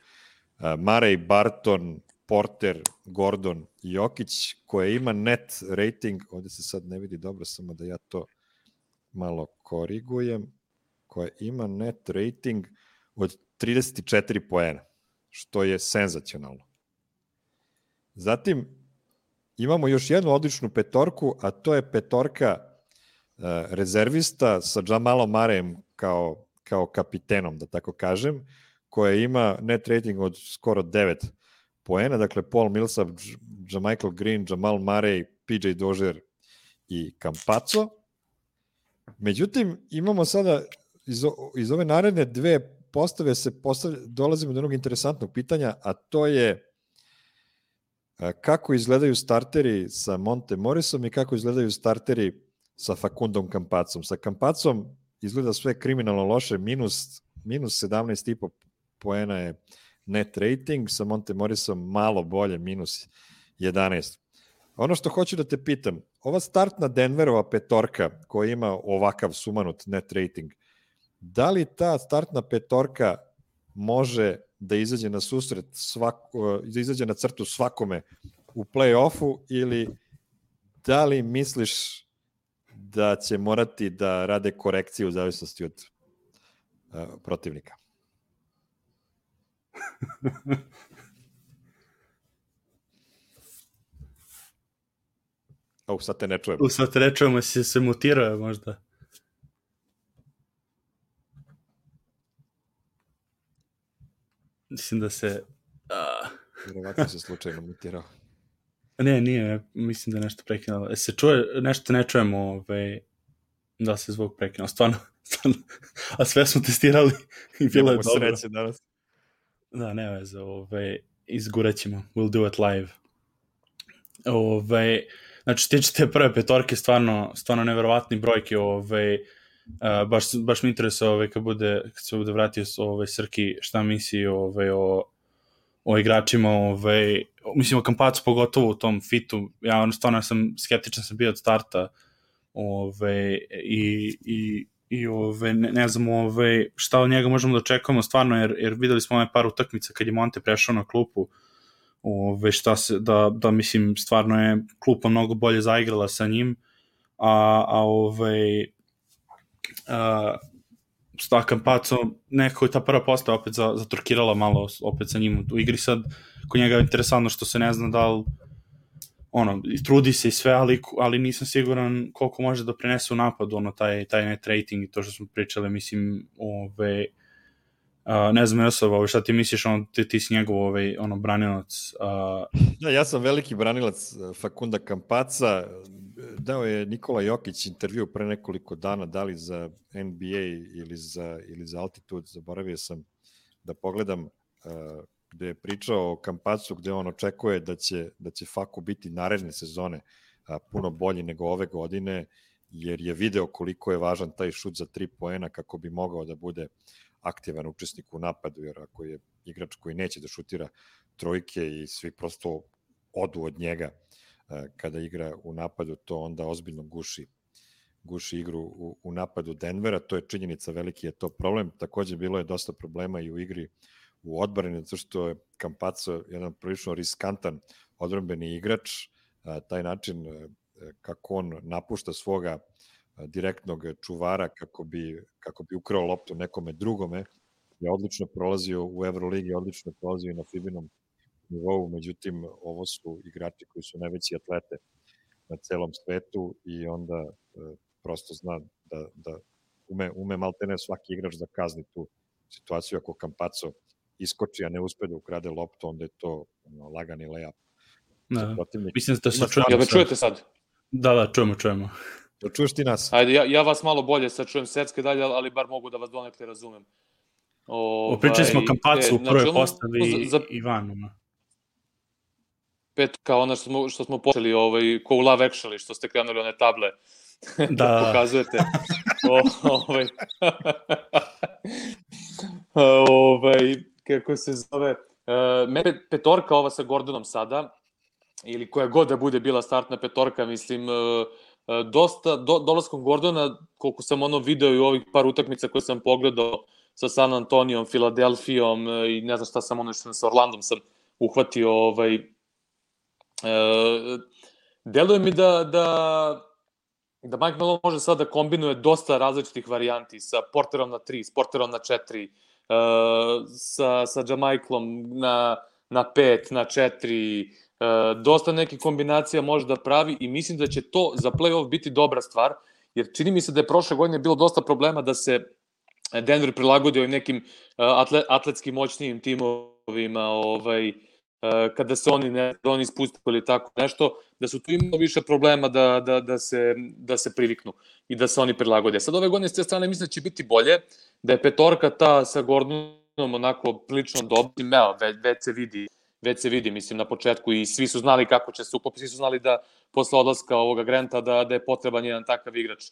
Murray, Barton, Porter, Gordon i Jokić, koja ima net rating, ovde se sad ne vidi dobro, samo da ja to malo korigujem, koja ima net rating od trideset četiri poena, što je senzacionalno. Zatim imamo još jednu odličnu petorku, a to je petorka uh, rezervista sa Jamalom Murrayem kao, kao kapitenom, da tako kažem, koja ima net rating od skoro devet poena, dakle Paul Millsap, JaMychal Green, Jamal Murray, P J Dozier i Campazzo. Međutim, imamo sada iz, iz ove naredne dve postave se postavlja, dolazimo do jednog interesantnog pitanja, a to je kako izgledaju starteri sa Monte Morrisom i kako izgledaju starteri sa Facundom Campazzom. Sa Campazzom izgleda sve kriminalno loše, minus, minus sedamnaest i po poena je net rating, sa Monte Morrisom malo bolje, minus jedanaest. Ono što hoću da te pitam, ova startna Denverova petorka koja ima ovakav sumanut net rating, da li ta startna petorka može da izađe na susret svako, da izađe na crtu svakome u play-offu ili da li misliš da će morati da rade korekcije u zavisnosti od uh, protivnika? O, sad te ne čujemo. U, sad te ne čujemo, si se mutirao možda. Mislim da se... Uh... Vjerovatno se slučajno mutirao. Ne, nije, mislim da je nešto prekinulo. E, se čuje, nešto ne čujemo, ovaj, da se zvuk prekinuo. Stvarno, stvarno. A sve smo testirali i bilo je dobro. Sreće danas. Da, ne veze, ovaj, izgurat ćemo. We'll do it live. Ovaj, znači, tiče te prve petorke, stvarno, stvarno neverovatni brojke, ovaj, Uh, baš, baš mi interesuje ovaj, kad, bude, kad se bude vratio ovaj, Srki šta misli ovaj, o, o igračima, ovaj, mislim o Campazzu pogotovo u tom fitu, ja ono stvarno sam skeptičan sam bio od starta ovaj, i, i, i ovaj, ne, ne znam ovaj, šta od njega možemo da očekujemo stvarno, jer, jer videli smo ovaj par utakmica kad je Monte prešao na klupu, ovaj, šta se, da, da mislim stvarno je klupa mnogo bolje zaigrala sa njim, a, a ovaj Uh, sta Campazzo, nekako je ta prva postava opet zatorkirala malo opet sa njim u igri. Sad kod njega je interesantno što se ne zna da li ono, trudi se i sve, ali, ali nisam siguran koliko može da prinese u napadu ono, taj, taj net rating i to što smo pričali, mislim ove, uh, ne znam Josovo, ove, šta ti misliš, ono, ti, ti si njegov ove, ono, branilac? Uh... Ja, ja sam veliki branilac Facunda Campazza. Dao je Nikola Jokić intervju pre nekoliko dana, da li za N B A ili za, ili za Altitude, zaboravio sam da pogledam, uh, gde je pričao o Campazzu, gde on očekuje da će, da će Faku biti naredne sezone uh, puno bolji nego ove godine, jer je video koliko je važan taj šut za tri poena kako bi mogao da bude aktivan učesnik u napadu, jer ako je igrač koji neće da šutira trojke i svi prosto odu od njega kada igra u napadu, to onda ozbiljno guši, guši igru u, u napadu Denvera. To je činjenica, veliki je to problem. Takođe bilo je dosta problema i u igri u odbrani, zato što je Campazzo jedan prilično riskantan odbrambeni igrač. A, taj način a, kako on napušta svoga a, direktnog čuvara kako bi, kako bi ukrao loptu nekome drugome, je odlično prolazio u Euroligi, odlično prolazio i na Fibinom nivou, međutim, ovo su igrači koji su najveći atlete na celom svetu i onda e, prosto zna da, da ume, ume maltene svaki igrač da kazni tu situaciju. Ako Campazzo iskoči, a ne uspe da ukrade loptu, onda je to ono, lagani layup. Da. Mislim da se čujemo. Jel me čujete sad? Da, da, čujemo, čujemo. Da čuješ ti nas? Ajde, ja, ja vas malo bolje sad čujem setske dalje, ali bar mogu da vas donekle razumem. O, Pričali smo o Campazzu u prvoj znači, postavi za... i van. Pet kao ono što smo, što smo počeli, ovaj, ko u Love Actually, što ste krenuli one table da, da pokazujete. o, ovaj. ovaj, kako se zove, uh, me petorka ova sa Gordonom sada, ili koja god da bude bila startna petorka, mislim, uh, dosta, do, dolaskom Gordona, koliko sam ono video i u ovih par utakmica koje sam pogledao sa San Antonijom, Filadelfijom i ne znam šta sam ono što sa Orlandom sam uhvatio, ovaj, e, deluje mi da, da, da Mike Malone može sad da kombinuje dosta različitih varijanti sa Porterom na tri, s Porterom na četiri, e, sa, sa Jamaiklom na, na pet, na četiri, dosta nekih kombinacija može da pravi i mislim da će to za play-off biti dobra stvar, jer čini mi se da je prošle godine bilo dosta problema da se Denver prilagodio nekim atle, atletski moćnijim timovima, ovaj, kada se oni ne da oni ispustili ili tako nešto, da su tu imali više problema da, da, da, se, da se priviknu i da se oni prilagode. Sad ove godine s te strane mislim da će biti bolje, da je petorka ta sa Gordonom onako prilično dobra, već, već se vidi već se vidi, mislim, na početku i svi su znali kako će se uklopiti, svi su znali da posle odlaska ovoga Granta da, da je potreban jedan takav igrač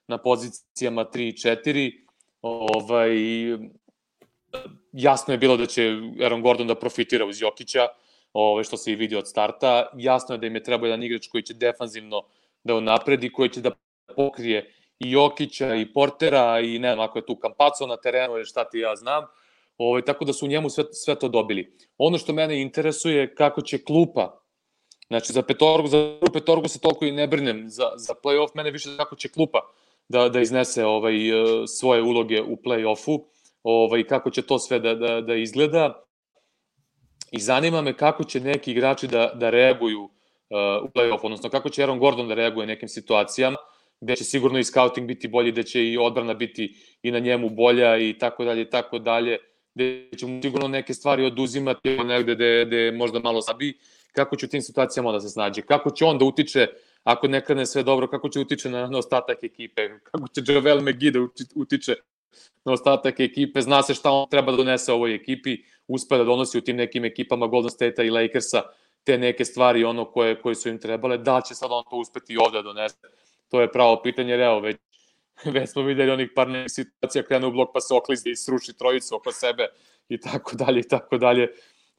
na pozicijama tri i četiri. Ovaj, jasno je bilo da će Aaron Gordon da profitira uz Jokića, ovaj, što se i vidi od starta. Jasno je da im je trebao jedan igrač koji će defanzivno da unapredi, koji će da pokrije i Jokića i Portera i ne znam, ako je tu Campazzo na terenu ili šta ti ja znam. Ovo, tako da su u njemu sve, sve to dobili. Ono što mene interesuje kako će klupa, znači za petorgu, za petorgu se toliko i ne brinem, za, za play-off mene više kako će klupa da, da iznese ovaj, svoje uloge u play-offu, ovaj, kako će to sve da, da, da izgleda i zanima me kako će neki igrači da, da reaguju uh, u play-off, odnosno kako će Aaron Gordon da reaguje nekim situacijama, gde će sigurno i scouting biti bolji, gde će i odbrana biti i na njemu bolja i tako dalje i tako dalje, gde će mu sigurno neke stvari oduzimati negde gde, gde možda malo sabi, kako će u tim situacijama da se snađe, kako će on da utiče, ako ne krene sve dobro, kako će utiče na, na ostatak ekipe, kako će Javel McGee da utiče na ostatak ekipe, zna se šta on treba da donese ovoj ekipi, uspe da donosi u tim nekim ekipama Golden State-a i Lakersa te neke stvari ono koje, koje su im trebale, da će sad on to uspeti i ovde da donese, to je pravo pitanje, jer evo već već smo videli onih par nekih situacija, krene u blok pa se oklizi i sruši trojicu oko sebe i tako dalje i tako dalje.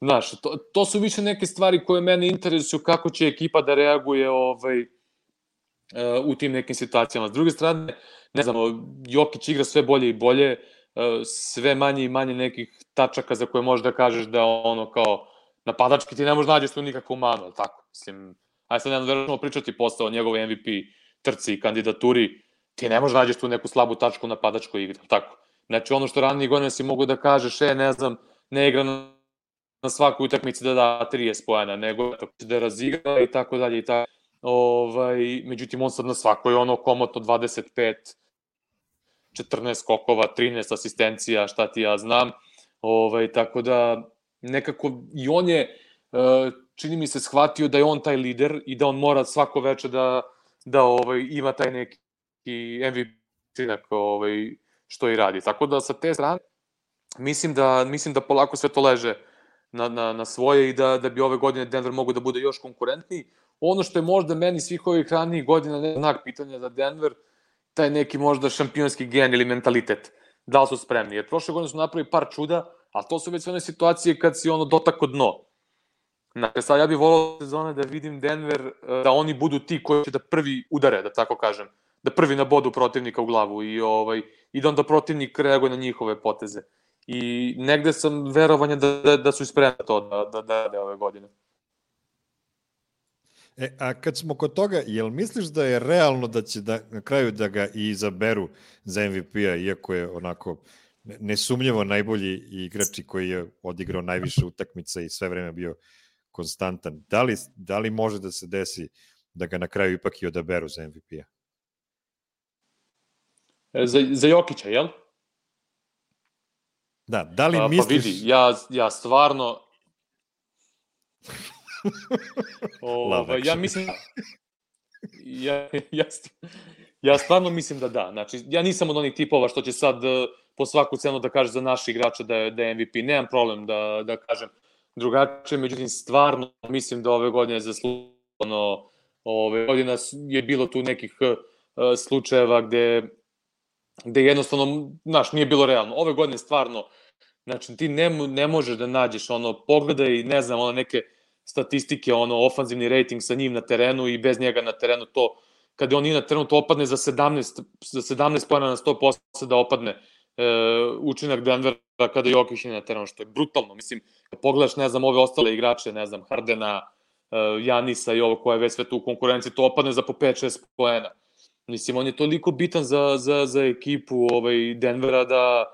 Znaš, to, to su više neke stvari koje mene interesuju kako će ekipa da reaguje ovaj, uh, u tim nekim situacijama. S druge strane, ne znam, Jokić igra sve bolje i bolje, uh, sve manje i manje nekih tačaka za koje možeš da kažeš da ono kao napadački ti ne možeš nađeš tu nikakvu manu, ali tako? Mislim, aj sad ne možemo pričati posle o njegovoj M V P trci i kandidaturi, ti ne možeš nađeš tu neku slabu tačku na napadačkoj igri, tako. Znači ono što ranije godine si mogu da kažeš, e, ne znam, ne igra na, na svakoj utakmici da da trideset poena, nego da razigra i tako dalje i tako. Ovaj, međutim, on sad na svakoj ono komotno dvadeset pet, četrnaest skokova, trinaest asistencija, šta ti ja znam. Ovaj, tako da nekako i on je, čini mi se, shvatio da je on taj lider i da on mora svako veče da, da ovaj, ima taj neki i M V P ovaj, što i radi. Tako da sa te strane mislim da, mislim da polako sve to leže na, na, na svoje i da, da bi ove godine Denver mogu da bude još konkurentniji. Ono što je možda meni svih ovih ranijih godina ne znak pitanja za Denver, taj neki možda šampionski gen ili mentalitet. Da li su spremni? Jer prošle godine su napravili par čuda, a to su već sve one situacije kad si ono dotako dno. Znači, sad ja bih volao sezone da vidim Denver, da oni budu ti koji će da prvi udare, da tako kažem, da prvi nabodu protivnika u glavu i, ovaj, i da onda protivnik reaguje na njihove poteze. I negde sam verovanja da, da, da su spremni to da, da, da, da ove godine. E, a kad smo kod toga, jel misliš da je realno da će da, na kraju da ga i izaberu za M V P-a, iako je onako nesumnjivo najbolji igrač koji je odigrao najviše utakmica i sve vreme bio konstantan? Da li, da li može da se desi da ga na kraju ipak i odaberu za M V P-a? Za, za Jokića, jel? Da, da li A, misliš... Pa vidi, ja, ja stvarno... Ova, ja mislim... Ja, ja, ja stvarno mislim da da. Znači, ja nisam od onih tipova što će sad po svaku cenu da kaže za naši igrača da je, da je M V P. Nemam problem da, da kažem drugačije, međutim, stvarno mislim da ove godine zasluženo, ove godine je bilo tu nekih uh, slučajeva gde, gde jednostavno, znaš, nije bilo realno. Ove godine stvarno Znači, ti ne, ne možeš da nađeš, ono, pogledaj, ne znam, ono, neke statistike, ono, ofanzivni rating sa njim na terenu i bez njega na terenu, to, kada on nije na terenu, to opadne za sedamnaest, za sedamnaest pojena na sto posto da opadne e, učinak Denvera kada Jokić nije na terenu, što je brutalno. Mislim, kad pogledaš, ne znam, ove ostale igrače, ne znam, Hardena, e, Janisa i ovo koje je već sve tu u konkurenciji, to opadne za po pet šest pojena. Mislim, on je toliko bitan za, za, za ekipu ovaj, Denvera da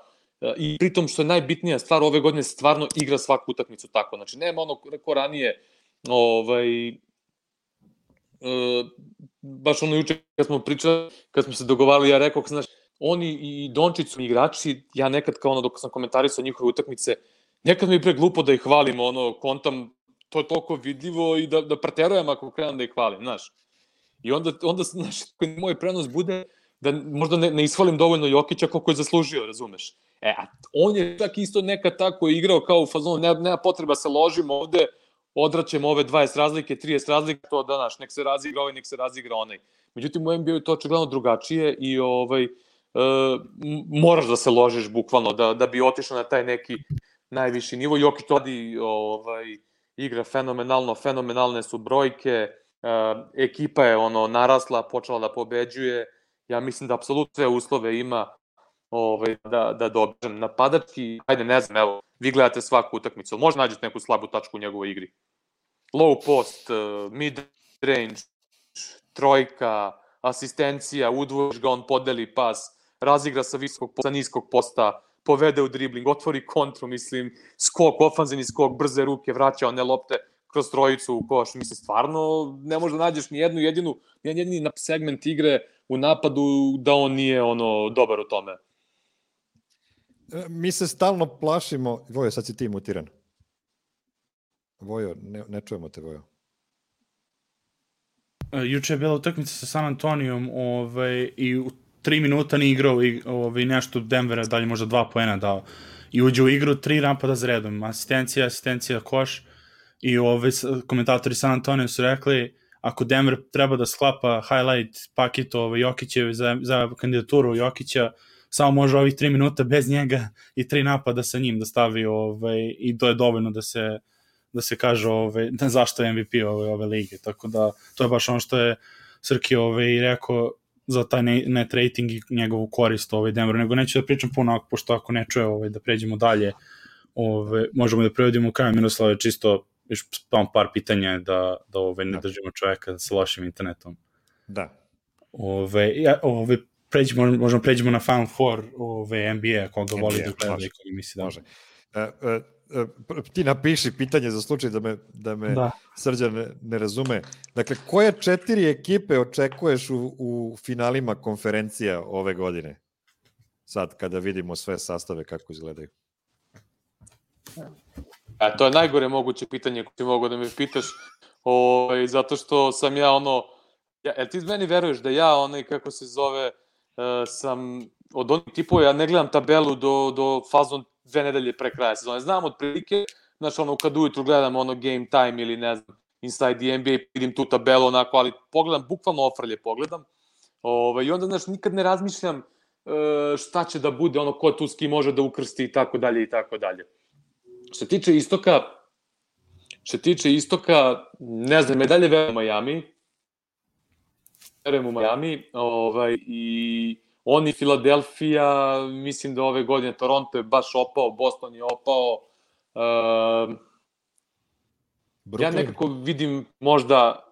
i pritom što je najbitnija stvar ove godine stvarno igra svaku utakmicu tako. Znači, nema ono ko ranije ovaj, e, baš ono juče kad smo pričali, kad smo se dogovarali, ja rekao, znaš, oni i Dončić su igrači, ja nekad kao ono dok sam komentarisao njihove utakmice, nekad mi je pre glupo da ih hvalim, ono, kontam, to je toliko vidljivo i da, da preterujem ako krenem da ih hvalim, znaš. I onda, onda znaš, moj prenos bude da možda ne, ne ishvalim dovoljno Jokića koliko je zaslužio, razumeš? E, a on je čak isto nekad tako igrao kao u fazonu, nema, nema potreba se ložimo ovde, odraćemo ove dvadeset razlike, trideset razlike, to da, naš, nek se razigra ovaj, nek se razigra onaj. Međutim, u N B A je to očigledno drugačije i ovaj, e, moraš da se ložiš bukvalno, da, da bi otišao na taj neki najviši nivo. Jokić to radi, ovaj, igra fenomenalno, fenomenalne su brojke, e, ekipa je ono narasla, počela da pobeđuje, ja mislim da apsolutno sve uslove ima ovaj, da, da dobižem napadački, ajde ne znam, evo, vi gledate svaku utakmicu, možda nađete neku slabu tačku u njegovoj igri. Low post, mid range, trojka, asistencija, udvojiš ga, on podeli pas, razigra sa visokog sa niskog posta, povede u dribling, otvori kontru, mislim, skok, ofanzivni skok, brze ruke, vraća one lopte kroz trojicu u koš, mislim, stvarno ne možeš da nađeš ni jednu jedinu, ni jedini segment igre u napadu da on nije ono dobar u tome. Mi se stalno plašimo, Vojo, sad si ti mutiran. Vojo, ne, ne čujemo te, Vojo. Juče je bila utakmica sa San Antonijom ovaj, i u tri minuta nije igrao i ovaj, nešto Denvera, dalje možda dva poena dao. I uđe u igru, tri napada za redom. Asistencija, asistencija, koš. I ovaj, komentatori San Antonija su rekli, ako Denver treba da sklapa highlight paket ovaj, Jokićevi za, za kandidaturu Jokića, samo može ovih tri minuta bez njega i tri napada sa njim da stavi ovaj, i to je dovoljno da se, da se kaže ovaj, da zašto je M V P ove, ove lige. Tako da to je baš ono što je Srki ovaj, rekao za taj net rating i njegovu korist ovaj, Denveru. Nego neću da pričam puno, pošto ako ne čuje ovaj, da pređemo dalje, ovaj, možemo da prevodimo u kraju. Miroslave, čisto još par pitanja da, da ovaj, ne držimo čoveka sa lošim internetom. Da. Ove, ja, ove, pređemo, možemo pređemo na Final Four ove, N B A, koga voli da gleda i koga misli da može. Uh, uh, uh, ti napiši pitanje za slučaj da me, da me da. Srđan ne, ne razume. Dakle, koje četiri ekipe očekuješ u, u finalima konferencija ove godine? Sad, kada vidimo sve sastave kako izgledaju. A, to je najgore moguće pitanje koje ti mogu da me pitaš, o, zato što sam ja ono, ja, jel ti meni veruješ da ja onaj, kako se zove, uh, sam od onih tipova, ja ne gledam tabelu do, do fazom dve nedelje pre kraja sezone. Znam od prilike, znaš, ono, kad ujutru gledam ono game time ili ne znam, Inside the N B A, vidim tu tabelu onako, ali pogledam, bukvalno ofrlje pogledam. Ove, I onda, znaš, nikad ne razmišljam uh, šta će da bude, ono, ko tu s kim može da ukrsti i tako dalje i tako dalje. Što tiče istoka, što tiče istoka, ne znam, medalje verujem u Miami, verujem u Miami, ovaj, i oni Filadelfija, mislim da ove godine Toronto je baš opao, Boston je opao, uh, ja nekako vidim možda,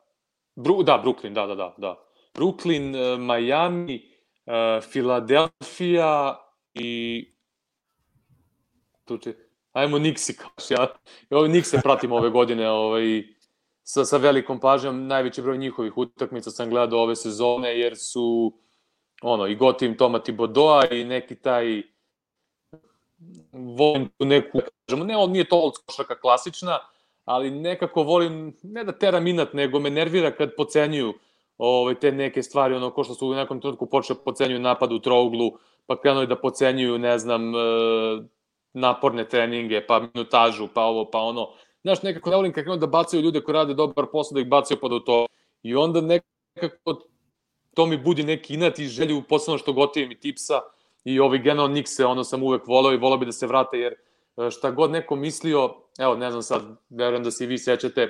Bru, da, Brooklyn, da, da, da, da, Brooklyn, uh, Miami, uh, Filadelfija i tu će, ajmo Nixi, kaš, ja, ja Nixi pratim ove godine, ovaj, sa, sa velikom pažnjom, najveći broj njihovih utakmica sam gledao ove sezone, jer su, ono, i gotivim Toma Thibodeau i neki taj, volim tu neku, kažemo, ne, on nije to old košarka klasična, ali nekako volim, ne da teram inat, nego me nervira kad pocenjuju ove, te neke stvari, ono, ko što su u nekom trenutku počeli pocenjuju napad u trouglu, pa krenuli da pocenjuju, ne znam, naporne treninge, pa minutažu, pa ovo, pa ono. Znaš, nekako ne volim kad krenu da bacaju ljude koji rade dobar posao, da ih bacaju pa do to. I onda nekako to mi budi neki inat i želju, posebno što gotivim i tipsa i ovi generalno Nikse, ono sam uvek voleo i voleo bi da se vrate, jer šta god neko mislio, evo, ne znam sad, verujem da se i vi sećate,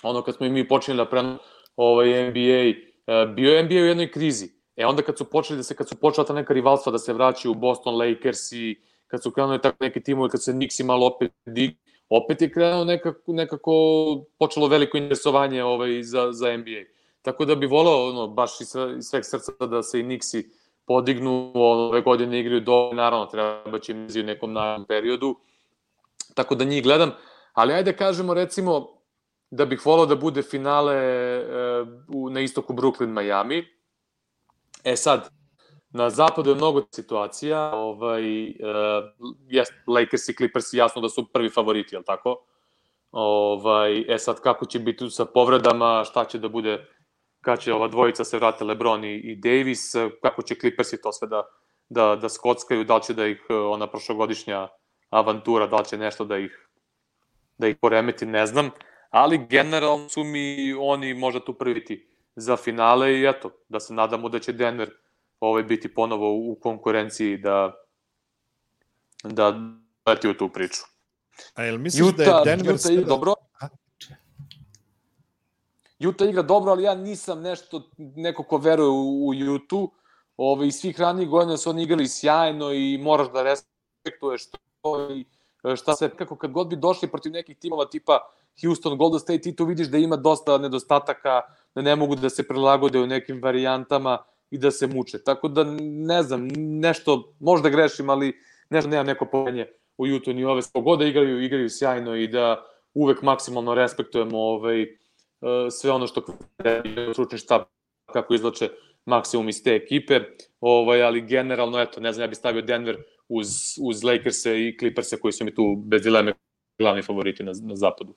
ono kad smo i mi počeli da prenu ovaj N B A, bio je N B A u jednoj krizi. E onda kad su počeli da se, kad su počela ta neka rivalstva da se vraćaju Boston Lakers i kad su krenuli tako neki timovi, kad se Knicks malo opet dig, opet je krenuo nekako, nekako počelo veliko interesovanje ovaj, za, za N B A. Tako da bi volao, ono, baš iz sveg srca da se i Knicksi podignu, ove godine igraju do, naravno, treba će im u nekom narednom periodu, tako da njih gledam, ali ajde kažemo, recimo, da bih volao da bude finale e, u, na istoku Brooklyn-Miami. E sad, na zapadu je mnogo situacija, ovaj, e, jest, Lakers i Clippers jasno da su prvi favoriti, je li tako? Ovaj, e sad, kako će biti sa povredama, šta će da bude, kada će ova dvojica se vrate, LeBron i, i Davis, kako će Clippersi to sve da, da, da skockaju, da li će da ih ona prošlogodišnja avantura, da li će nešto da ih, da ih poremeti, ne znam, ali generalno su mi oni možda tu prviti za finale i eto, da se nadamo da će Denver ovaj, biti ponovo u konkurenciji da da leti u tu priču. A jel misliš Utah, da je Denver... Utah igra dobro? Utah igra dobro, ali ja nisam nešto, neko ko veruje u, u Utah. Ove, iz svih ranijih godina su oni igrali sjajno i moraš da respektuješ to i šta se, kako kad god bi došli protiv nekih timova tipa Houston, Golden State, ti tu vidiš da ima dosta nedostataka, da ne mogu da se prilagode u nekim varijantama i da se muče. Tako da, ne znam, nešto, možda grešim, ali nešto nemam neko pomenje u Utah ni ove spogoda, igraju, igraju sjajno i da uvek maksimalno respektujemo ovaj, sve ono što je stručni štab, kako izlače maksimum iz te ekipe, ovaj, ali generalno, eto, ne znam, ja bih stavio Denver uz, uz Lakers-e i Clippers-e koji su mi tu bez dileme glavni favoriti na, na zapadu.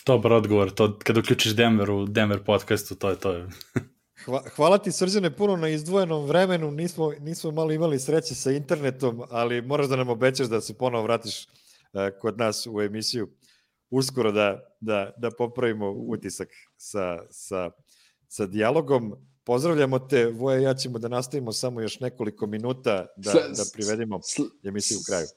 Dobar odgovor, to kad uključiš Denver u Denver podcastu, to je to. Hvala ti, Srđane, puno na izdvojenom vremenu, nismo, nismo malo imali sreće sa internetom, ali moraš da nam obećaš da se ponovo vratiš uh, kod nas u emisiju uskoro da, da, da popravimo utisak sa, sa, sa dijalogom. Pozdravljamo te, Voja, ja ćemo da nastavimo samo još nekoliko minuta da, da privedimo emisiju u kraju.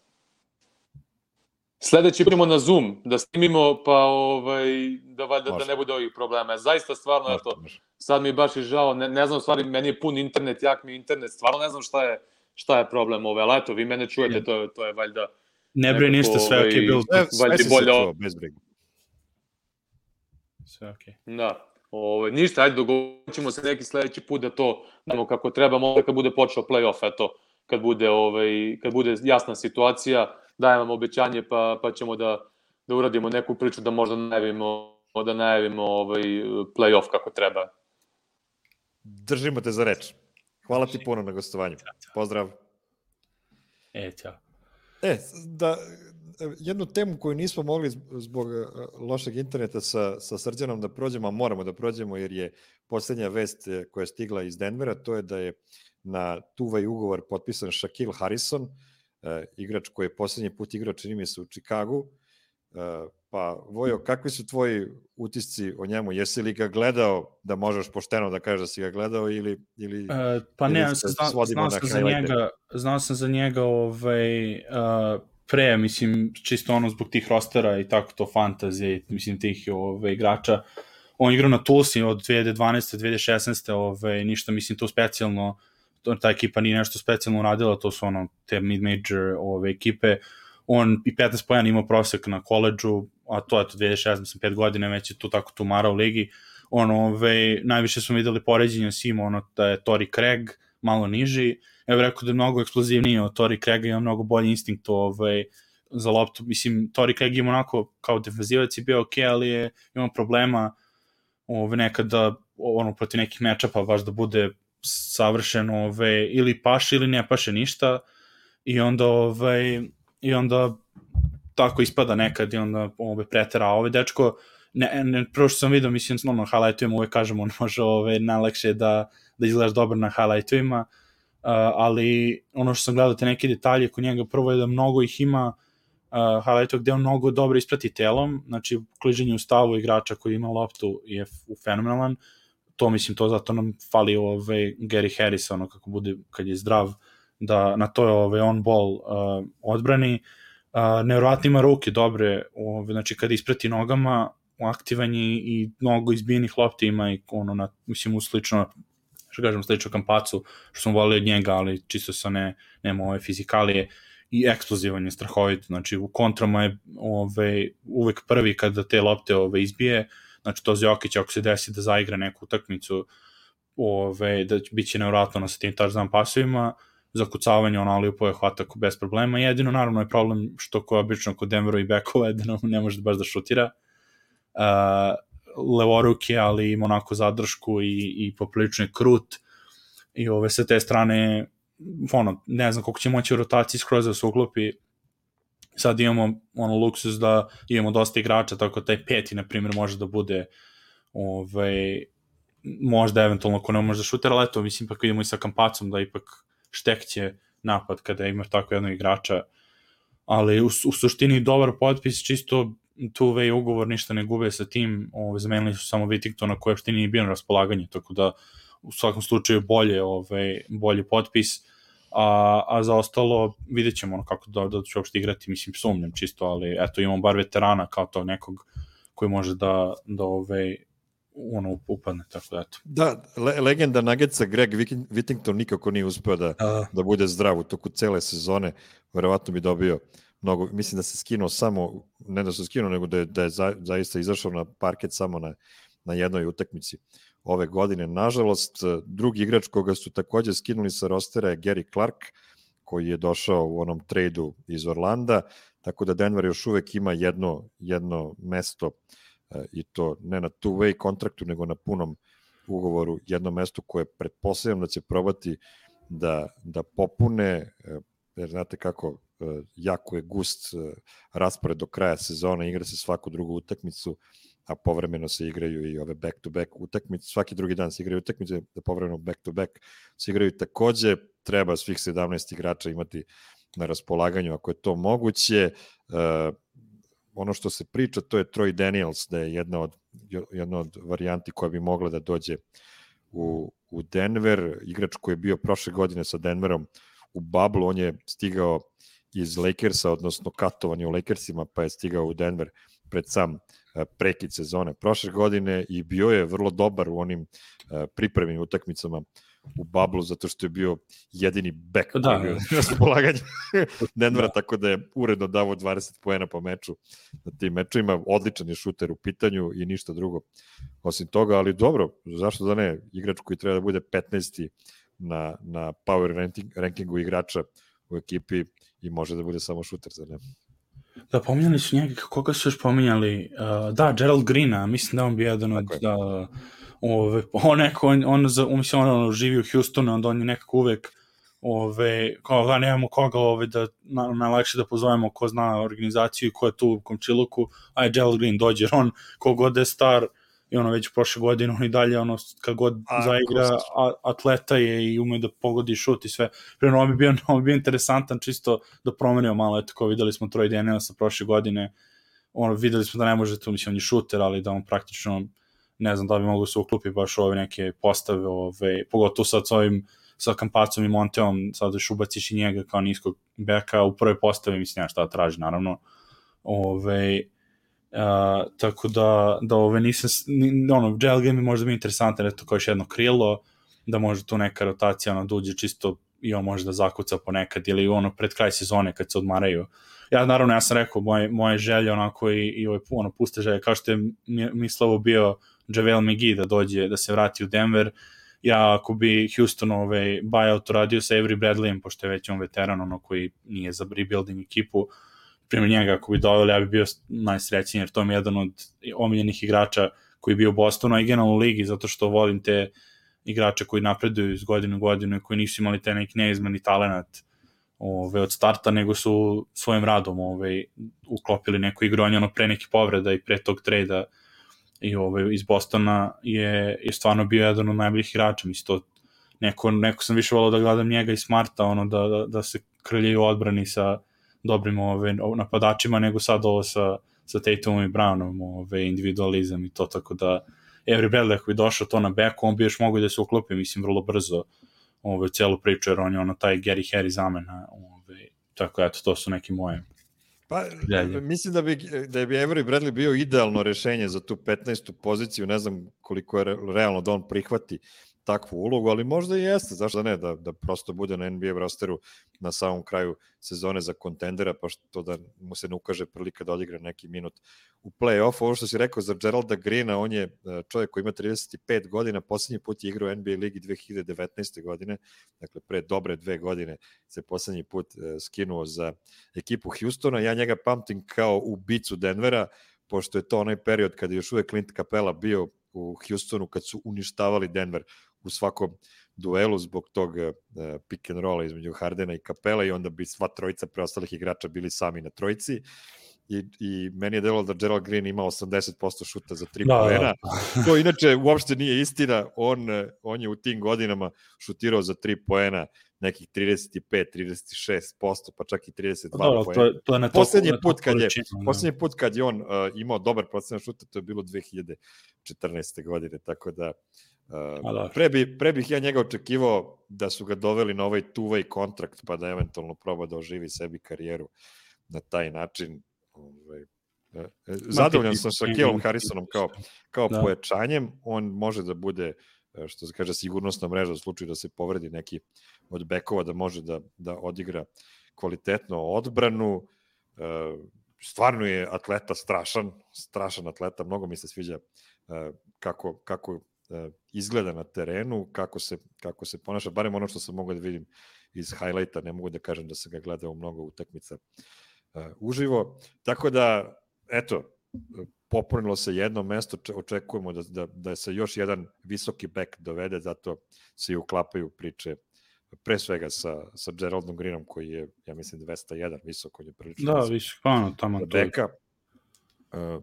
Sledeći budemo na Zoom, da snimimo, pa ovaj, da, da, da ne bude ovih problema. Zaista, stvarno, može, eto, može. Sad mi je baš i žao, ne, ne znam, stvari, meni je pun internet, jak mi je internet, stvarno ne znam šta je, šta je problem ove, ali eto, vi mene čujete, ja. to, to je valjda... Ne brini ništa, sve ok, bilo sve, sve si bolje... se čuo, bez briga. Sve ok. Da, ove, ništa, ajde, dogovorit ćemo se neki sledeći put da to nemo kako treba, možda kad bude počeo play-off, eto, kad bude, ovaj, kad bude jasna situacija, dajem vam obećanje, pa, pa ćemo da, da uradimo neku priču, da možda najavimo, da najavimo ovaj, play-off kako treba. Držimo te za reč. Hvala ti puno na gostovanju. Pozdrav. E, ćao. E, da, jednu temu koju nismo mogli zbog lošeg interneta sa, sa Srđanom da prođemo, a moramo da prođemo jer je poslednja vest koja je stigla iz Denvera, to je da je na tuvaj ugovor potpisan Shaquille Harrison, uh, igrač koji je poslednji put igrao, čini mi se, u Čikagu. Uh, pa, Vojo, kakvi su tvoji utisci o njemu? Jesi li ga gledao, da možeš pošteno da kažeš da si ga gledao ili... ili uh, pa ne, ili zna, znao sam za njega, znao sam za njega ovaj, uh, pre, mislim, čisto ono zbog tih rostera i tako to fantazije, mislim, tih ovaj, igrača. On igrao na Tulsi od dve hiljade dvanaeste do dve hiljade šesnaeste, ovaj, ništa, mislim, to specijalno, ta ekipa nije nešto specijalno uradila, to su ono, te mid-major ove ekipe. On i petnaest poena imao prosek na koledžu, a to je to dve hiljade šesnaeste, mislim, pet godine već je tu tako tumara u ligi. On, ove, najviše smo videli poređenja s njim, ono, da je Torrey Craig malo niži. Evo rekao da je mnogo eksplozivniji od Torrey Craiga, ima mnogo bolji instinkt ove, za loptu. Mislim, Torrey Craig ima onako, kao defenzivac je bio ok, ali je imao problema ove, nekada, ono, protiv nekih matchupa baš da bude savršeno ove, ili paše ili ne paše ništa i onda ove, i onda tako ispada nekad i onda ove, pretera. Ove dečko, ne, ne, prvo što sam vidio, mislim, no, na highlightovima uvek kažem, on može ove, najlakše da, da izgledaš dobro na highlightovima, uh, ali ono što sam gledao te neke detalje kod njega, prvo je da mnogo ih ima uh, highlightova gde on mnogo dobro isprati telom, znači kliženje u stavu igrača koji ima loptu je fenomenalan. To mislim, to zato nam fali ovaj Gary Harris, ono kako bude, kad je zdrav, da na toj ove, on-ball uh, odbrani. Uh, nevjerovatno ima ruke dobre, ove, znači kada ispreti nogama, aktivan je i mnogo izbijenih lopti ima i ono, na, mislim, slično, što kažem, slično Kampacu, što sam volio od njega, ali čisto sa ne, nema ove fizikalije i eksplozivan je strahovito, znači u kontrama je ove, uvek prvi kada te lopte ove, izbije, znači to Jokić ako se desi da zaigra neku utakmicu, ove, da bit će nevjerojatno sa tim touchdown pasovima, za kucavanje on alipove hvata bez problema, jedino naravno je problem što ko obično kod Denveru i bekova da ne može baš da šutira, uh, levoruke, ali ima onako zadršku i, i poprilično je krut i ove sa te strane ono, ne znam koliko će moći u rotaciji skroz da se uklopi. Sad imamo ono luksus da imamo dosta igrača, tako taj peti, na primjer, može da bude ovaj, možda eventualno ko ne može da šutira, ali eto, mislim, pa idemo i sa Kampacom da ipak štekće napad kada imaš tako jednog igrača, ali u, u suštini dobar potpis, čisto two-way ugovor, ništa ne gube sa tim, ovaj, zamenili su samo Whittingtona koji uopšte nije bio na raspolaganju, tako da u svakom slučaju bolje, ovaj, bolji potpis, a, a za ostalo vidjet ćemo ono kako da, da će uopšte igrati, mislim, sumnjam čisto, ali eto, imamo bar veterana kao to nekog koji može da, da ovaj, ono upadne, tako da eto. Da, le, legenda Nuggetsa Greg Whittington nikako nije uspeo da, uh. da bude zdrav u toku cele sezone, verovatno bi dobio mnogo, mislim da se skinuo samo, ne da se skinuo, nego da je, da je za, zaista izašao na parket samo na, na jednoj utakmici ove godine. Nažalost, drugi igrač koga su takođe skinuli sa rostera je Gary Clark, koji je došao u onom trejdu iz Orlanda, tako da Denver još uvek ima jedno, jedno mesto i to ne na two-way kontraktu, nego na punom ugovoru, jedno mesto koje pretpostavljam da će probati da, da popune, jer znate kako, jako je gust raspored do kraja sezona, igra se svaku drugu utakmicu, a povremeno se igraju i ove back-to-back utakmice, svaki drugi dan se igraju utakmice, da povremeno back-to-back se igraju takođe, treba svih sedamnaest igrača imati na raspolaganju, ako je to moguće. Uh, ono što se priča, to je Troy Daniels, da je jedna od, jedna od varijanti koja bi mogla da dođe u, u Denver, igrač koji je bio prošle godine sa Denverom u bablu, on je stigao iz Lakersa, odnosno katovan je u Lakersima, pa je stigao u Denver pred sam prekid sezone prošle godine i bio je vrlo dobar u onim pripremnim utakmicama u bablu, zato što je bio jedini bek koji je bio na raspolaganju Denvera, da. Tako da je uredno davo dvadeset poena po meču na tim mečima, odličan je šuter u pitanju i ništa drugo osim toga, ali dobro, zašto da ne, igrač koji treba da bude petnaesti na, na power ranking, rankingu igrača u ekipi i može da bude samo šuter, za ne? Da, pominjali su njega, koga su još pominjali? Uh, da, Gerald Greena, mislim da on bi jedan od... Da, ove, on neko, on, on, on, mislim, on živi u Houstonu, onda on je nekako uvek ove, kao da nemamo koga ove, da na, najlakše da pozovemo ko zna organizaciju i ko je tu u komčiluku, aj Gerald Green dođe, on kogod je star i ono već prošle godine, on i dalje ono, kad god a, zaigra a, atleta je i ume da pogodi šut i sve. Prema ovo bi bio, ovo bi bio interesantan čisto da promenio malo, eto kao videli smo Troy Danielsa prošle godine, ono, videli smo da ne može tu, mislim, on je šuter, ali da on praktično ne znam da bi mogu se uklupi baš u ove neke postave, ove, pogotovo sad s ovim sa Kampacom i Monteom, sad još ubaciš i njega kao niskog beka u prvoj postavi, mislim, ja šta traži, naravno. Ove, a, tako da, da ove nisam, ono, Jail Game je možda bi interesantan, eto kao još jedno krilo, da može tu neka rotacija, ono, da uđe čisto i on može da zakuca ponekad, ili ono, pred kraj sezone kad se odmaraju. Ja, naravno, ja sam rekao, moje, moje želje, onako, i, i ove, ono, puste želje, kao što je Mislavo bio JaVale McGee da dođe, da se vrati u Denver. Ja, ako bi Houston ovaj, buyout radio sa Avery Bradleyem, pošto je već on veteran, ono koji nije za rebuilding ekipu, primjer njega, ako bi doveli, ja bi bio najsrećniji, jer to je jedan od omiljenih igrača koji je bio u Bostonu, a i generalno u ligi, zato što volim te igrače koji napreduju iz godine u godinu i koji nisu imali te neki neizmeni talenat ove, od starta, nego su svojim radom ove, uklopili neku igru, on je ono pre neki povreda i pre tog trejda i ovaj, iz Bostona je, je stvarno bio jedan od najboljih igrača, mislim to neko, neko sam više volao da gledam njega i Smarta, ono da, da, da se krljaju odbrani sa dobrim ove, napadačima, nego sad ovo sa, sa Tatumom i Brownom, ove, individualizam i to, tako da Avery Bradley koji je došao to na beku, on bi još mogo da se uklopi, mislim, vrlo brzo ove, celu priču, jer on je ono taj Gary Harry zamena, ove, tako eto, to su neki moje. Pa, Delje. mislim da bi, da bi Avery Bradley bio idealno rešenje za tu petnaestu poziciju, ne znam koliko je realno da on prihvati takvu ulogu, ali možda i jeste, zašto da ne, da, da prosto bude na N B A rosteru na samom kraju sezone za kontendera, pa što da mu se ne ukaže prilika da odigra neki minut u play-offu. Ovo što si rekao za Geralda Greena, on je čovjek koji ima trideset pet godina, poslednji put je igrao u N B A ligi dve hiljade devetnaeste. godine, dakle pre dobre dve godine se poslednji put skinuo za ekipu Houstona. Ja njega pamtim kao ubicu Denvera, pošto je to onaj period kada je još uvek Clint Capela bio u Houstonu, kad su uništavali Denver u svakom duelu zbog tog uh, pick and rolla između Hardena i Capela, i onda bi sva trojica preostalih igrača bili sami na trojici. I, i meni je delalo da Gerald Green ima osamdeset posto šuta za tri poena. To inače uopšte nije istina. On, on je u tim godinama šutirao za tri poena nekih trideset pet trideset šest posto, pa čak i trideset dva da, poena. To je, to je poslednji, put kad je, poslednji put kad je on uh, imao dobar procenat šuta, to je bilo dve hiljade četrnaeste. godine, tako da uh, pre, bi, pre bih ja njega očekivao da su ga doveli na ovaj two-way kontrakt, pa da eventualno proba da oživi sebi karijeru na taj način. Ovaj, zadovoljan sam sa Kelom Harrisonom kao, kao da. pojačanjem. On može da bude, što se kaže, sigurnosna mreža u slučaju da se povredi neki od bekova, da može da, da odigra kvalitetno odbranu. Stvarno je atleta strašan, strašan atleta, mnogo mi se sviđa kako, kako izgleda na terenu, kako se, kako se ponaša, barem ono što sam mogao da vidim iz highlighta, ne mogu da kažem da sam ga gledao mnogo utakmica Uh, uživo, tako da eto, popunilo se jedno mesto, očekujemo da, da, da se još jedan visoki bek dovede, zato se i uklapaju priče pre svega sa, sa Geraldom Greenom, koji je, ja mislim, dvesta jedan visoko, on je prilično da, visok, pa tamo beka. Uh,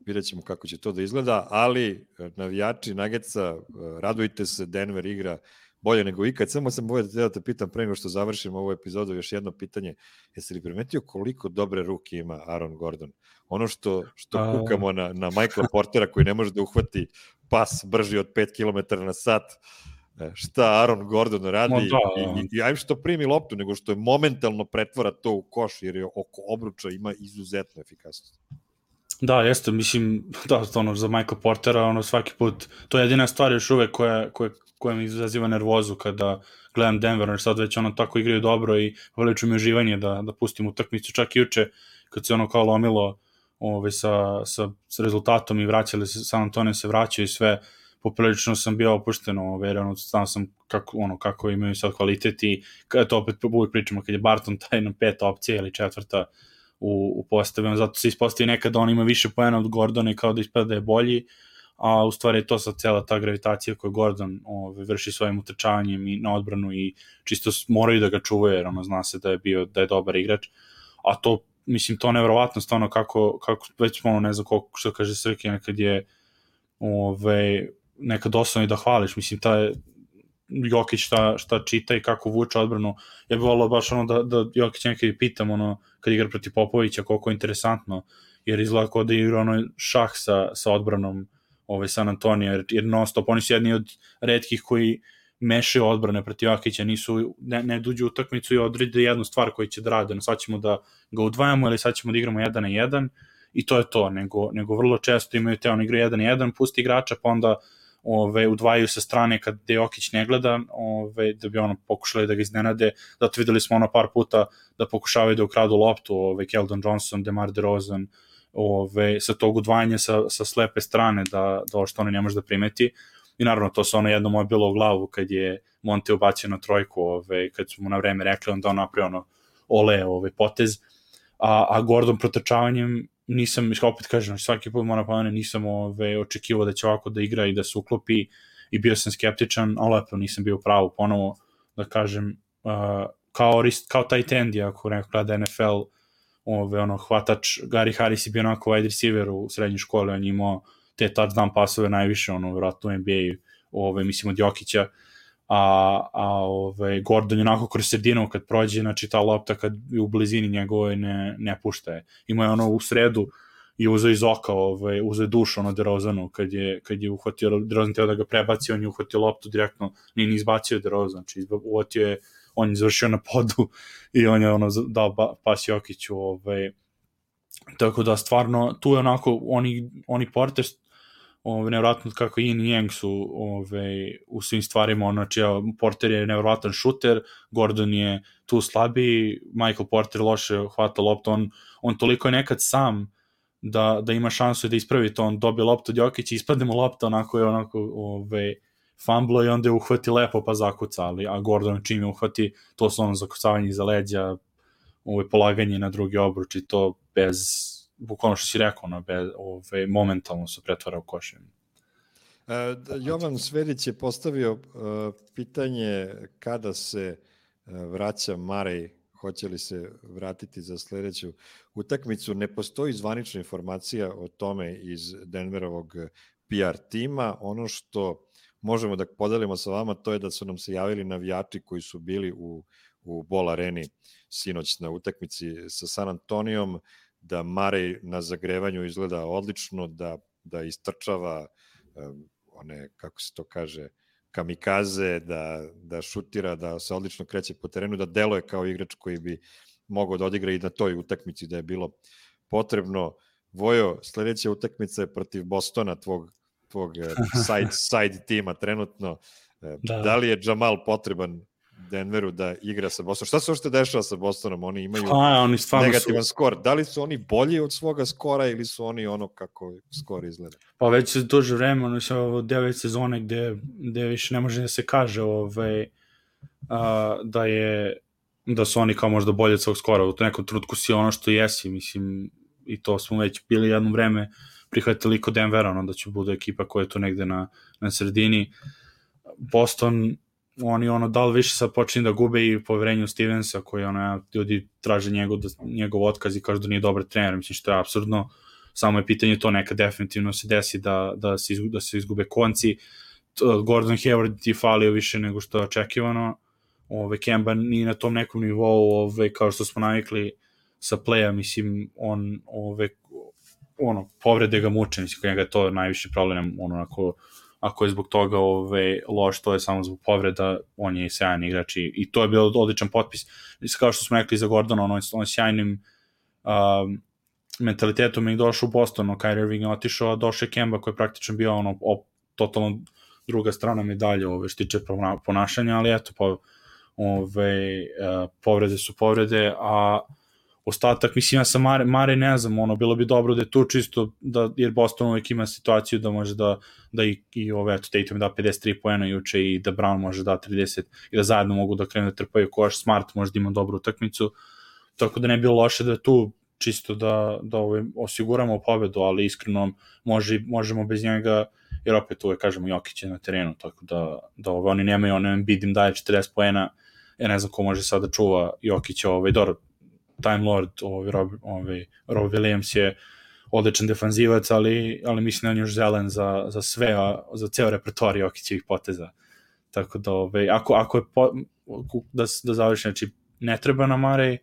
vidjet ćemo kako će to da izgleda, ali navijači Nuggetsa, uh, radujte se, Denver igra bolje nego ikad. Samo sam bolje da te pitam pre nego što završimo ovu epizodu, još jedno pitanje. Jesi li primetio koliko dobre ruke ima Aaron Gordon? Ono što, što A... kukamo na, na Michaela Portera koji ne može da uhvati pas brži od pet kilometara na sat, šta Aaron Gordon radi no, da, i, i, i ajme što primi loptu, nego što je momentalno pretvara to u koš, jer je oko obruča ima izuzetnu efikasnost. Da, jeste, mislim, da, ono, za Michael Portera, ono, svaki put, to je jedina stvar još uvek koja, koja, koja mi izaziva nervozu kada gledam Denver, jer sad već ono tako igraju dobro i poveliču mi uživanje da, da pustim utakmicu, čak i juče, kad se ono kao lomilo ove, sa, sa, sa rezultatom i vraćali se, San Antonio se vraćaju i sve, poprilično sam bio opušten, ove, jer ono, znao sam kako, ono, kako imaju sad kvalitet i kada to opet uvijek pričamo, kad je Barton taj na peta opcija ili četvrta u, u postavima, zato se ispostavi nekad da on ima više poena od Gordona i kao da ispada da je bolji, a u stvari je to sad cela ta gravitacija koju Gordon ove, vrši svojim utrčavanjem i na odbranu i čisto moraju da ga čuvaju, jer ono, zna se da je bio da je dobar igrač, a to, mislim, to nevjerovatno stvarno kako, kako već ono, ne znam koliko, što kaže Srke, nekad je ove, nekad osnovno i da hvališ, mislim, taj Jokić šta, šta čita i kako vuče odbranu, ja bih volao baš ono da, da Jokić nekad i pitam ono, kad igra protiv Popovića, koliko je interesantno, jer izgleda kao da igra ono šah sa, sa odbranom ovaj San Antonio, jer, jer non stop, oni su jedni od retkih koji mešaju odbrane protiv Jokića, nisu, ne, ne duđu utakmicu i odrede jednu stvar koju će da rade, no sad ćemo da ga udvajamo ili sad ćemo da igramo jedan na jedan i to je to, nego, nego vrlo često imaju te, on igra jedan na jedan, pusti igrača, pa onda ove, udvajaju sa strane kad Jokić ne gleda, ove, da bi ono pokušali da ga iznenade, zato videli smo ono par puta da pokušavaju da ukradu loptu, ove, Keldon Johnson, DeMar DeRozan, ove, sa tog udvajanja sa, sa slepe strane da, da što ono ne može da primeti i naravno to se ono jedno moje bilo u glavu kad je Monte ubacio na trojku, ove, kad smo mu na vreme rekli, onda on napravio ono ole ove, potez, a, a Gordon protrčavanjem nisam, opet kažem, svaki put moram pomenuti, nisam ove, očekivao da će ovako da igra i da se uklopi i bio sam skeptičan, ali lepo nisam bio pravo ponovo da kažem, uh, kao, kao taj tendi, ako neko gleda N F L, ove, ono, hvatač, Gary Harris je bio onako wide receiver u srednjoj školi, on je imao te touchdown pasove najviše, ono, vjerojatno u N B A-u, ove, mislim od Jokića, a, a ove, Gordon je onako kroz sredinu kad prođe, znači ta lopta kad je u blizini njegove ne, ne pušta je. Ima je ono u sredu i uzeo iz oka, ovaj, uzeo dušu ono DeRozanu kad je, kad je uhvatio DeRozan teo da ga prebaci, on je uhvatio loptu direktno, nije ni izbacio DeRozan, znači uhvatio je, on je završio na podu i on je ono dao pas Jokiću, ovaj, tako da stvarno tu je onako, oni, oni Porter, ovaj, nevjerojatno kako Yin i Yang su ovaj, u svim stvarima, znači Porter je nevjerojatan šuter, Gordon je tu slabiji, Michael Porter loše hvata loptu, on, on toliko je nekad sam da, da ima šansu da ispravi to, on dobije loptu od Jokića, ispadne mu lopta, onako je onako ovaj, fumblo i onda je uhvati lepo pa zakuca, ali, a Gordon čim je uhvati, to su ono zakucavanje iza leđa, ovaj, polaganje na drugi obruč i to bez, bukvalno što si rekao, no, bez, ovaj, momentalno se pretvara u košem. Uh, Jovan Svedić je postavio uh, pitanje kada se uh, vraća Murray, hoće li se vratiti za sledeću utakmicu. Ne postoji zvanična informacija o tome iz Denverovog P R tima. Ono što možemo da podelimo sa vama, to je da su nam se javili navijači koji su bili u, u Ball Areni sinoć na utakmici sa San Antonijom, da Murray na zagrevanju izgleda odlično, da, da istrčava um, one, kako se to kaže, kamikaze, da, da šutira, da se odlično kreće po terenu, da deluje kao igrač koji bi mogao da odigra i na toj utakmici da je bilo potrebno. Vojo, sledeća utakmica je protiv Bostona, tvog, tvog side, side tima trenutno. Da. Da li je Jamal potreban Denveru da igra sa Bostonom? Šta se uopšte dešava sa Bostonom? Oni imaju A, oni negativan su... skor. Da li su oni bolji od svoga skora ili su oni ono kako skor izgleda? Pa već se duže vreme, ono se ovo devet sezone gde, gde više ne može da se kaže ovaj, a, da je da su oni kao možda bolji od svog skora. U nekom trutku si ono što jesi, mislim, i to smo već bili jedno vreme prihvatili kod Denvera, ono da će bude ekipa koja je tu negde na, na sredini. Boston, oni ono da li više sad počinju da gube i poverenju Stevensa koji ono, ljudi traže njegov, njegov otkaz i kažu da nije dobar trener, mislim što je apsurdno, samo je pitanje to, neka definitivno se desi da, da, se, izgube, da se izgube konci. Gordon Hayward ti falio više nego što je očekivano, ove, Kemba nije na tom nekom nivou, ove, kao što smo navikli sa playa, mislim, on ove, ono, povrede ga muče, mislim, kod njega je to najviše problem, ono, ako ako je zbog toga ove, loš, to je samo zbog povreda, on je i sjajan igrač i, i to je bio odličan potpis. Kao što smo rekli za Gordona, on, on sjajnim um, mentalitetom je došao u Boston, Kyrie Irving je otišao, a došao je Kemba koji je praktično bio ono, op, totalno druga strana medalje ove, što tiče ponašanja, ali eto, po, ove, uh, povrede su povrede, a ostatak, mislim, ja sam Mare, Mare ne znam, ono, bilo bi dobro da je tu čisto, da, jer Boston uvijek ima situaciju da može da, da i, i ove, eto, Tatum da pedeset tri poena juče i da Brown može da trideset i da zajedno mogu da krenu da trpaju koš, Smart može da ima dobru utakmicu, tako da ne bi bilo loše da je tu čisto da, da ove, osiguramo pobedu, ali iskreno može, možemo bez njega, jer opet uvijek kažemo Jokić je na terenu, tako da, da ove, oni nemaju, ono Embiid im daje četrdeset poena, ja ne znam ko može sad da čuva Jokića, ovaj, dobro, Time Lord, ovaj, Rob, ovaj, Rob Williams je odličan defanzivac, ali, ali mislim da on još zelen za, za sve, a, za ceo repertoar Jokićevih poteza. Tako da, ovaj, ako, ako je po, da, da završi, znači, ne treba na Murray,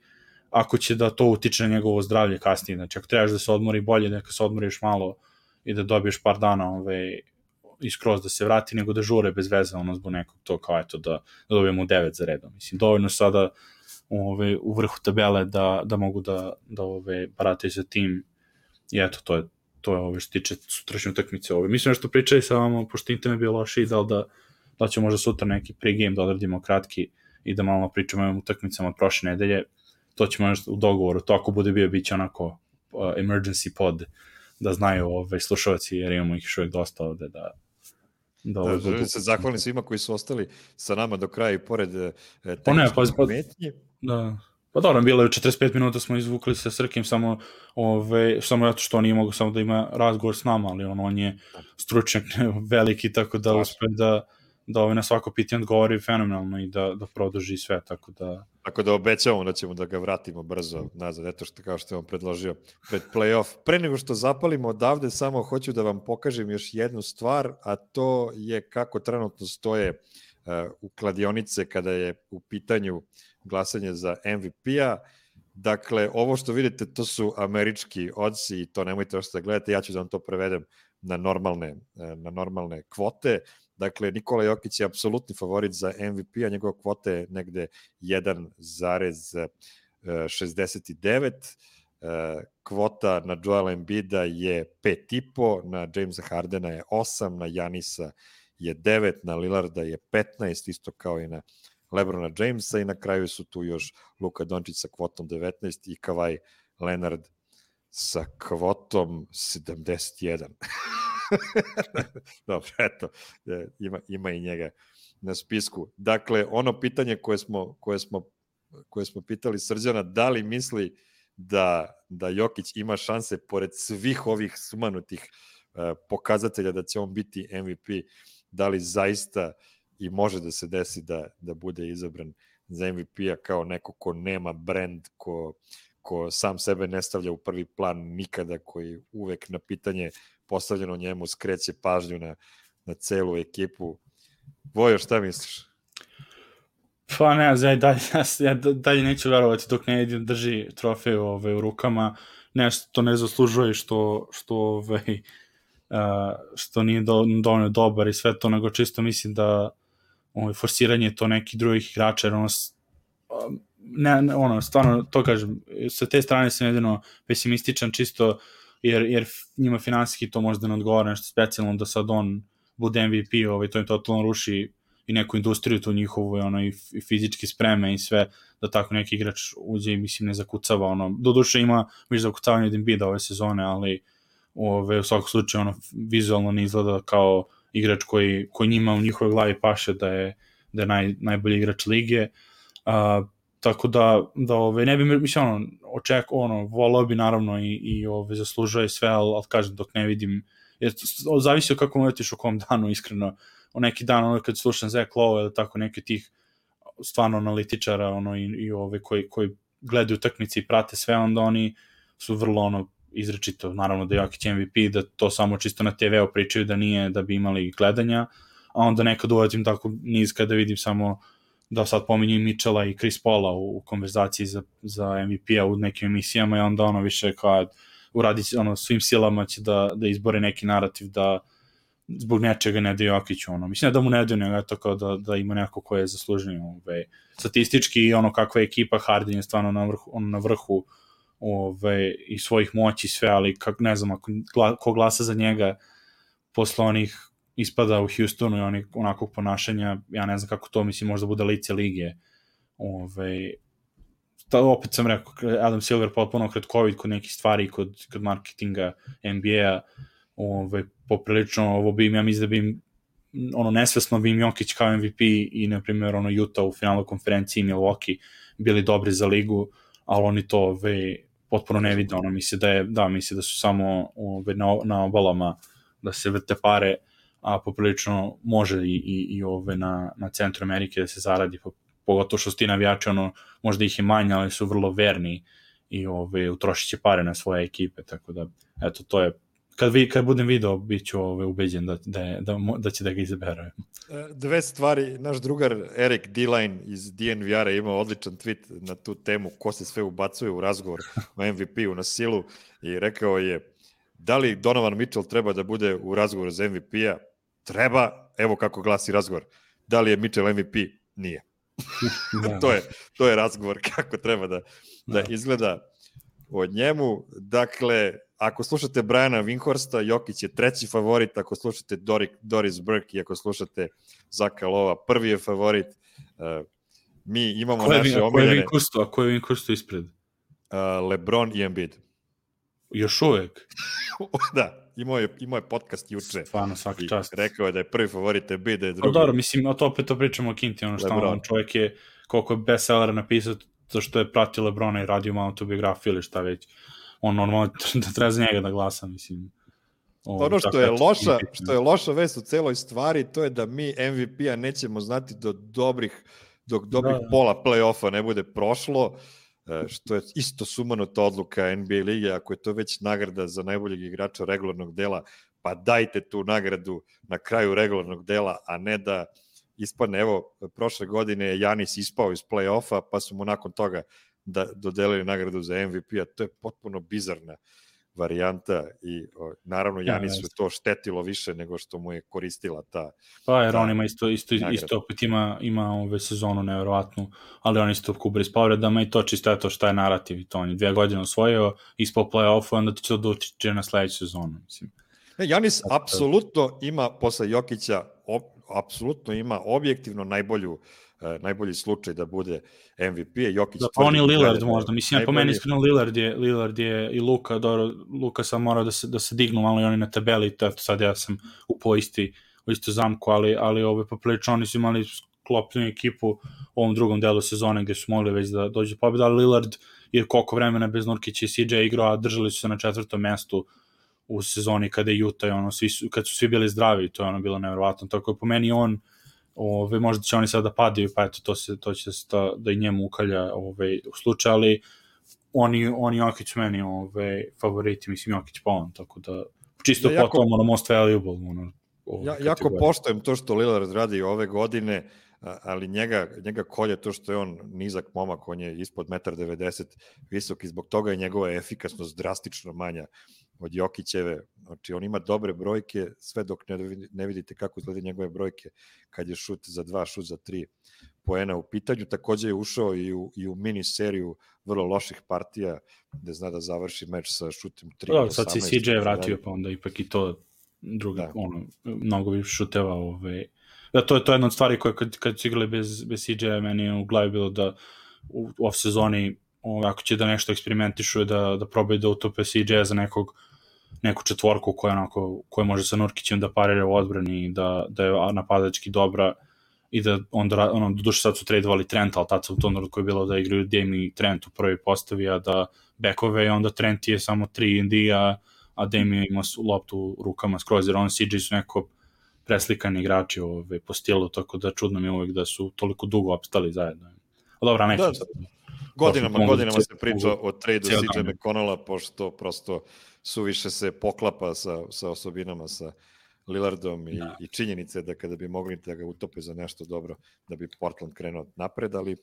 ako će da to utiče na njegovo zdravlje kasnije, znači, ako trebaš da se odmori bolje, neka se odmoriš malo i da dobiješ par dana ovaj, iskroz da se vrati, nego da žure bez veze, ono zbog nekog to kao eto, da, da dobijemo devet za redom. Mislim, dovoljno sada ove, u vrhu tabele da, da mogu da, da ove, barataju za tim i eto, to je, to je ove, što tiče sutrašnje utakmice. Ove. Mislim što pričali sa vama, pošto internet bio loši i da li da, da će možda sutra neki pregame da odradimo kratki i da malo pričamo o utakmicama od prošle nedelje, to ćemo nešto u dogovoru, to ako bude bio, bit će onako uh, emergency pod, da znaju ove, slušalci, jer imamo ih još uvijek dosta ovde da Da, da, želim se zahvalim svima koji su ostali sa nama do kraja i pored eh, tehničkih pa pa, metnji. Da. Pa dobro, bilo je četrdeset pet minuta smo izvukli sa Srkim samo, ove, samo zato što on nije mogo samo da ima razgovor s nama, ali on, on je stručnjak veliki, tako da uspe da, da ove, na svako pitanje odgovori fenomenalno i da, da produži sve, tako da... Tako da obećavamo da ćemo da ga vratimo brzo nazad, eto što kao što je on predložio pred play-off. Pre nego što zapalimo odavde, samo hoću da vam pokažem još jednu stvar, a to je kako trenutno stoje uh, u kladionice kada je u pitanju glasanje za M V P-a. Dakle, ovo što vidite, to su američki odsi i to nemojte još da gledate, ja ću da vam to prevedem na normalne, na normalne kvote. Dakle, Nikola Jokić je apsolutni favorit za M V P, a njegova kvota je negde jedan zarez šezdeset devet. Kvota na Joela Embida je pet i po, na Jamesa Hardena je osam, na Janisa je devet, na Lillarda je petnaest, isto kao i na LeBrona Jamesa, i na kraju su tu još Luka Dončić sa kvotom devetnaest i Kawhi Leonard sa kvotom sedamdeset jedan. Dobro, eto, ima, ima i njega na spisku. Dakle, ono pitanje koje smo, koje smo, koje smo pitali Srđana, da li misli da, da Jokić ima šanse, pored svih ovih sumanutih uh, pokazatelja da će on biti M V P, da li zaista i može da se desi da, da bude izabran za M V P-a kao neko ko nema brand, ko, ko sam sebe ne stavlja u prvi plan nikada, koji uvek na pitanje postavljeno njemu skreće pažnju na, na celu ekipu. Vojo, šta misliš? Pa ne, ja dalje, ja dalje neću verovati dok ne vidim drži trofej ove, u rukama. Nešto to ne zaslužuje što, što, ove, uh, što nije do, dovoljno dobar i sve to, nego čisto mislim da ove, forsiranje to nekih drugih igrača, jer ono, ne, ne, ono, stvarno, to kažem, sa te strane sam jedino pesimističan čisto jer, jer njima finansijski to možda ne odgovara nešto specijalno da sad on bude M V P, ovaj, to im totalno ruši i neku industriju tu njihovu, ono, i, i fizički spreme i sve, da tako neki igrač uđe i mislim ne zakucava, ono, doduše ima više zakucavanje od Embida ove sezone, ali ove, u svakom slučaju ono, vizualno ne izgleda kao igrač koji, koji njima u njihovoj glavi paše da je, da je naj, najbolji igrač lige, uh, tako da, da ove, ne bi, mislim, ono, oček, ono, volao bi naravno i, i ove, zaslužuje sve, ali, ali kažem, dok ne vidim, jer zavisi od kako mu letiš u kom danu, iskreno, o neki dan, ono, kad slušam Zach Lowe ili tako neki tih stvarno analitičara, ono, i, i ove, koji, koji gledaju utakmice i prate sve, onda oni su vrlo, ono, izrečito, naravno da je Jokić M V P, da to samo čisto na te ve u pričaju, da nije, da bi imali gledanja, a onda nekad uvatim tako niz kada vidim samo da sad pominju Mitchella i Chris Paula u, u konverzaciji za, za M V P-a u nekim emisijama i onda ono više kao uradi ono, svim silama će da, da izbore neki narativ da zbog nečega ne daju Jokiću, ono, mislim da mu ne daju, nego to kao da, da ima neko ko je zaslužniji, ove, statistički i ono kakva je ekipa, Harden je stvarno na vrhu, ono, na vrhu ove, i svojih moći sve, ali kak, ne znam, ako gla, ko glasa za njega posle onih ispada u Houstonu i onih onakvog ponašanja, ja ne znam kako to, mislim, možda bude lice lige, ove, ta, opet sam rekao, Adam Silver potpuno kratkovid kod nekih stvari, kod, kod marketinga N B A-a, Ove, poprilično, ovo bi im, ja mislim da bi im, ono, nesvesno bi im Jokić kao M V P i, na primjer, ono, Utah u finalu konferenciji i Milwaukee bili dobri za ligu, ali oni to, ove, potpuno ne vide, ono, misli da je, da, misli da su samo, ove, na, na obalama da se vrte pare, a poprilično može i, i, i ove, na, na centru Amerike da se zaradi, pogotovo što su ti navijači, ono, možda ih je manje, ali su vrlo verni i, ove, utrošit će pare na svoje ekipe, tako da, eto, to je Kad, vi, kad budem video, bit ću ove, ubeđen da, da, da, da će da ga izaberu. Dve stvari, naš drugar Eric D-Line iz D N V R-a imao odličan tweet na tu temu ko se sve ubacuje u razgovor o M V P-u na silu i rekao je da li Donovan Mitchell treba da bude u razgovoru za M V P-a? Treba, evo kako glasi razgovor. Da li je Mitchell M V P? Nije. to, je, to je razgovor kako treba da, da izgleda od njemu. Dakle, ako slušate Briana Winhorsta, Jokić je treći favorit, ako slušate Dorik, Doris Burke i ako slušate Zaka Lova, prvi je favorit. Uh, mi imamo koje, naše a omiljene... Ko je Winhorstu, a ko je Winhorstu ispred? Uh, LeBron i Embiid. Još uvek? Da, imao je, imao je podcast juče. Stvarno, svaka čast. Rekao je da je prvi favorit Embiid, da je drugi. O, dobro, mislim, o to opet to pričamo o Kinti, ono što on čovjek je, koliko je bestsellera napisao, to što je pratio LeBrona i radio malo tu biografiju ili šta već. On normalno da treba za njega da glasa, mislim. O, ono što je loša, što je loša vest u celoj stvari, to je da mi M V P-a nećemo znati do dobrih, dok dobrih da, pola play-offa ne bude prošlo, što je isto sumanuta odluka N B A lige, ako je to već nagrada za najboljeg igrača regularnog dela, pa dajte tu nagradu na kraju regularnog dela, a ne da ispadne, evo, prošle godine je Janis ispao iz play-offa, pa su mu nakon toga da dodelili nagradu za M V P-a, to je potpuno bizarna varijanta i o, naravno Janisu je to štetilo više nego što mu je koristila ta. Pa jer on ima isto isto nagrada. Isto opet ima ima ove sezonu neverovatnu, ali on isto kubri s povredama i to čisto je to šta je narativ i to on je dvije godine osvojio ispod play-offa, onda će to doći na sledeću sezonu, mislim. Ne, Janis Zato... apsolutno ima posle Jokića op, apsolutno ima objektivno najbolju Uh, najbolji slučaj da bude M V P, Jokić da, pa on je Lillard da možda, mislim, najbolji... po meni iskreno Lillard je, Lillard je i Luka, dobro, Luka sam morao da se, da se dignu malo i oni na tabeli, to sad ja sam upao isti, u istu zamku, ali, ali ove poprilično oni su imali sklopljenu ekipu u ovom drugom delu sezone gde su mogli već da dođe pobjeda, ali Lillard je koliko vremena bez Nurkića i C J igrao, a držali su se na četvrtom mestu u sezoni kada je Utah, ono, svi su, kad su svi bili zdravi, to je ono bilo nevjerovatno, tako je po meni on Ove, možda će oni sada da padaju, pa eto, to, se, to će se da, da i njemu ukalja ove, u slučaju, ali oni, oni Jokić meni ove, favoriti, mislim Jokić pa on, tako da čisto ja, jako, potom ono most valuable. Ono, ove, ja, jako poštojem to što Lillard radi ove godine, ali njega, njega kolje to što je on nizak momak, on je ispod jedan devedeset metra visok i zbog toga je njegova efikasnost drastično manja od Jokićeve. Znači, on ima dobre brojke, sve dok ne, ne vidite kako izgleda njegove brojke kad je šut za dva, šut za tri poena u pitanju. Takođe je ušao i u, i u mini seriju vrlo loših partija, gde zna da završi meč sa šutem tri. Da, sad se C J vratio, pa onda ipak i to drugi, da. ono, mnogo bi šuteva. Ove... Da, to je to jedna od stvari koje kad, kad su igrali bez, bez C J-a, meni je u glavi bilo da u, u off sezoni ako će da nešto eksperimentišu, da, da probaju da utope C J-a za nekog, neku četvorku koja, onako, koja može sa Nurkićem da parira u odbrani, da, da je napadački dobra i da onda, ono, doduše sad su tradovali Trenta, ali tad su u tom narodu koji je bilo da igraju Dame i Trent u prvi postavi, a da bekove, onda Trent je samo tri and D, a, a Dame ima loptu u rukama skroz, jer on C J su neko preslikani igrači ove, po stilu, tako da čudno mi je uvijek da su toliko dugo opstali zajedno. O, dobra, neću da, sad. Godinama, Prošlo, godinama se priča o tradu C J McConnella, pošto prosto suviše se poklapa sa, sa osobinama sa Lillardom i, da. i činjenice da kada bi mogli da ga utope za nešto dobro, da bi Portland krenuo napred, ali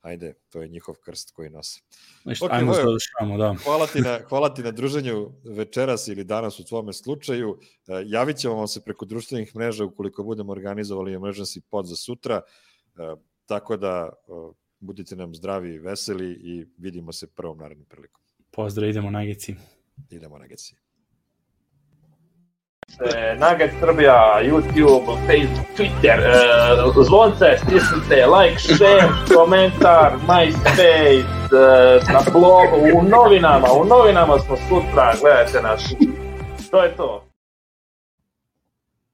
ajde, to je njihov krst koji nose. Okay, ajmo se završamo, da. Hvala ti, na, hvala ti na druženju večeras ili danas u tvome slučaju. Uh, javit ćemo vam se preko društvenih mreža ukoliko budemo organizovali emergency pod za sutra, uh, tako da uh, budite nam zdravi i veseli i vidimo se prvom narednom prilikom. Pozdrav, idemo na Geci. Idemo na Geci. Nugget Srbija, YouTube, Facebook, Twitter, uh, zvonce, stisnite, like, share, komentar, MySpace, uh, na blogu, u novinama, u novinama smo sutra, gledajte nas. To je to.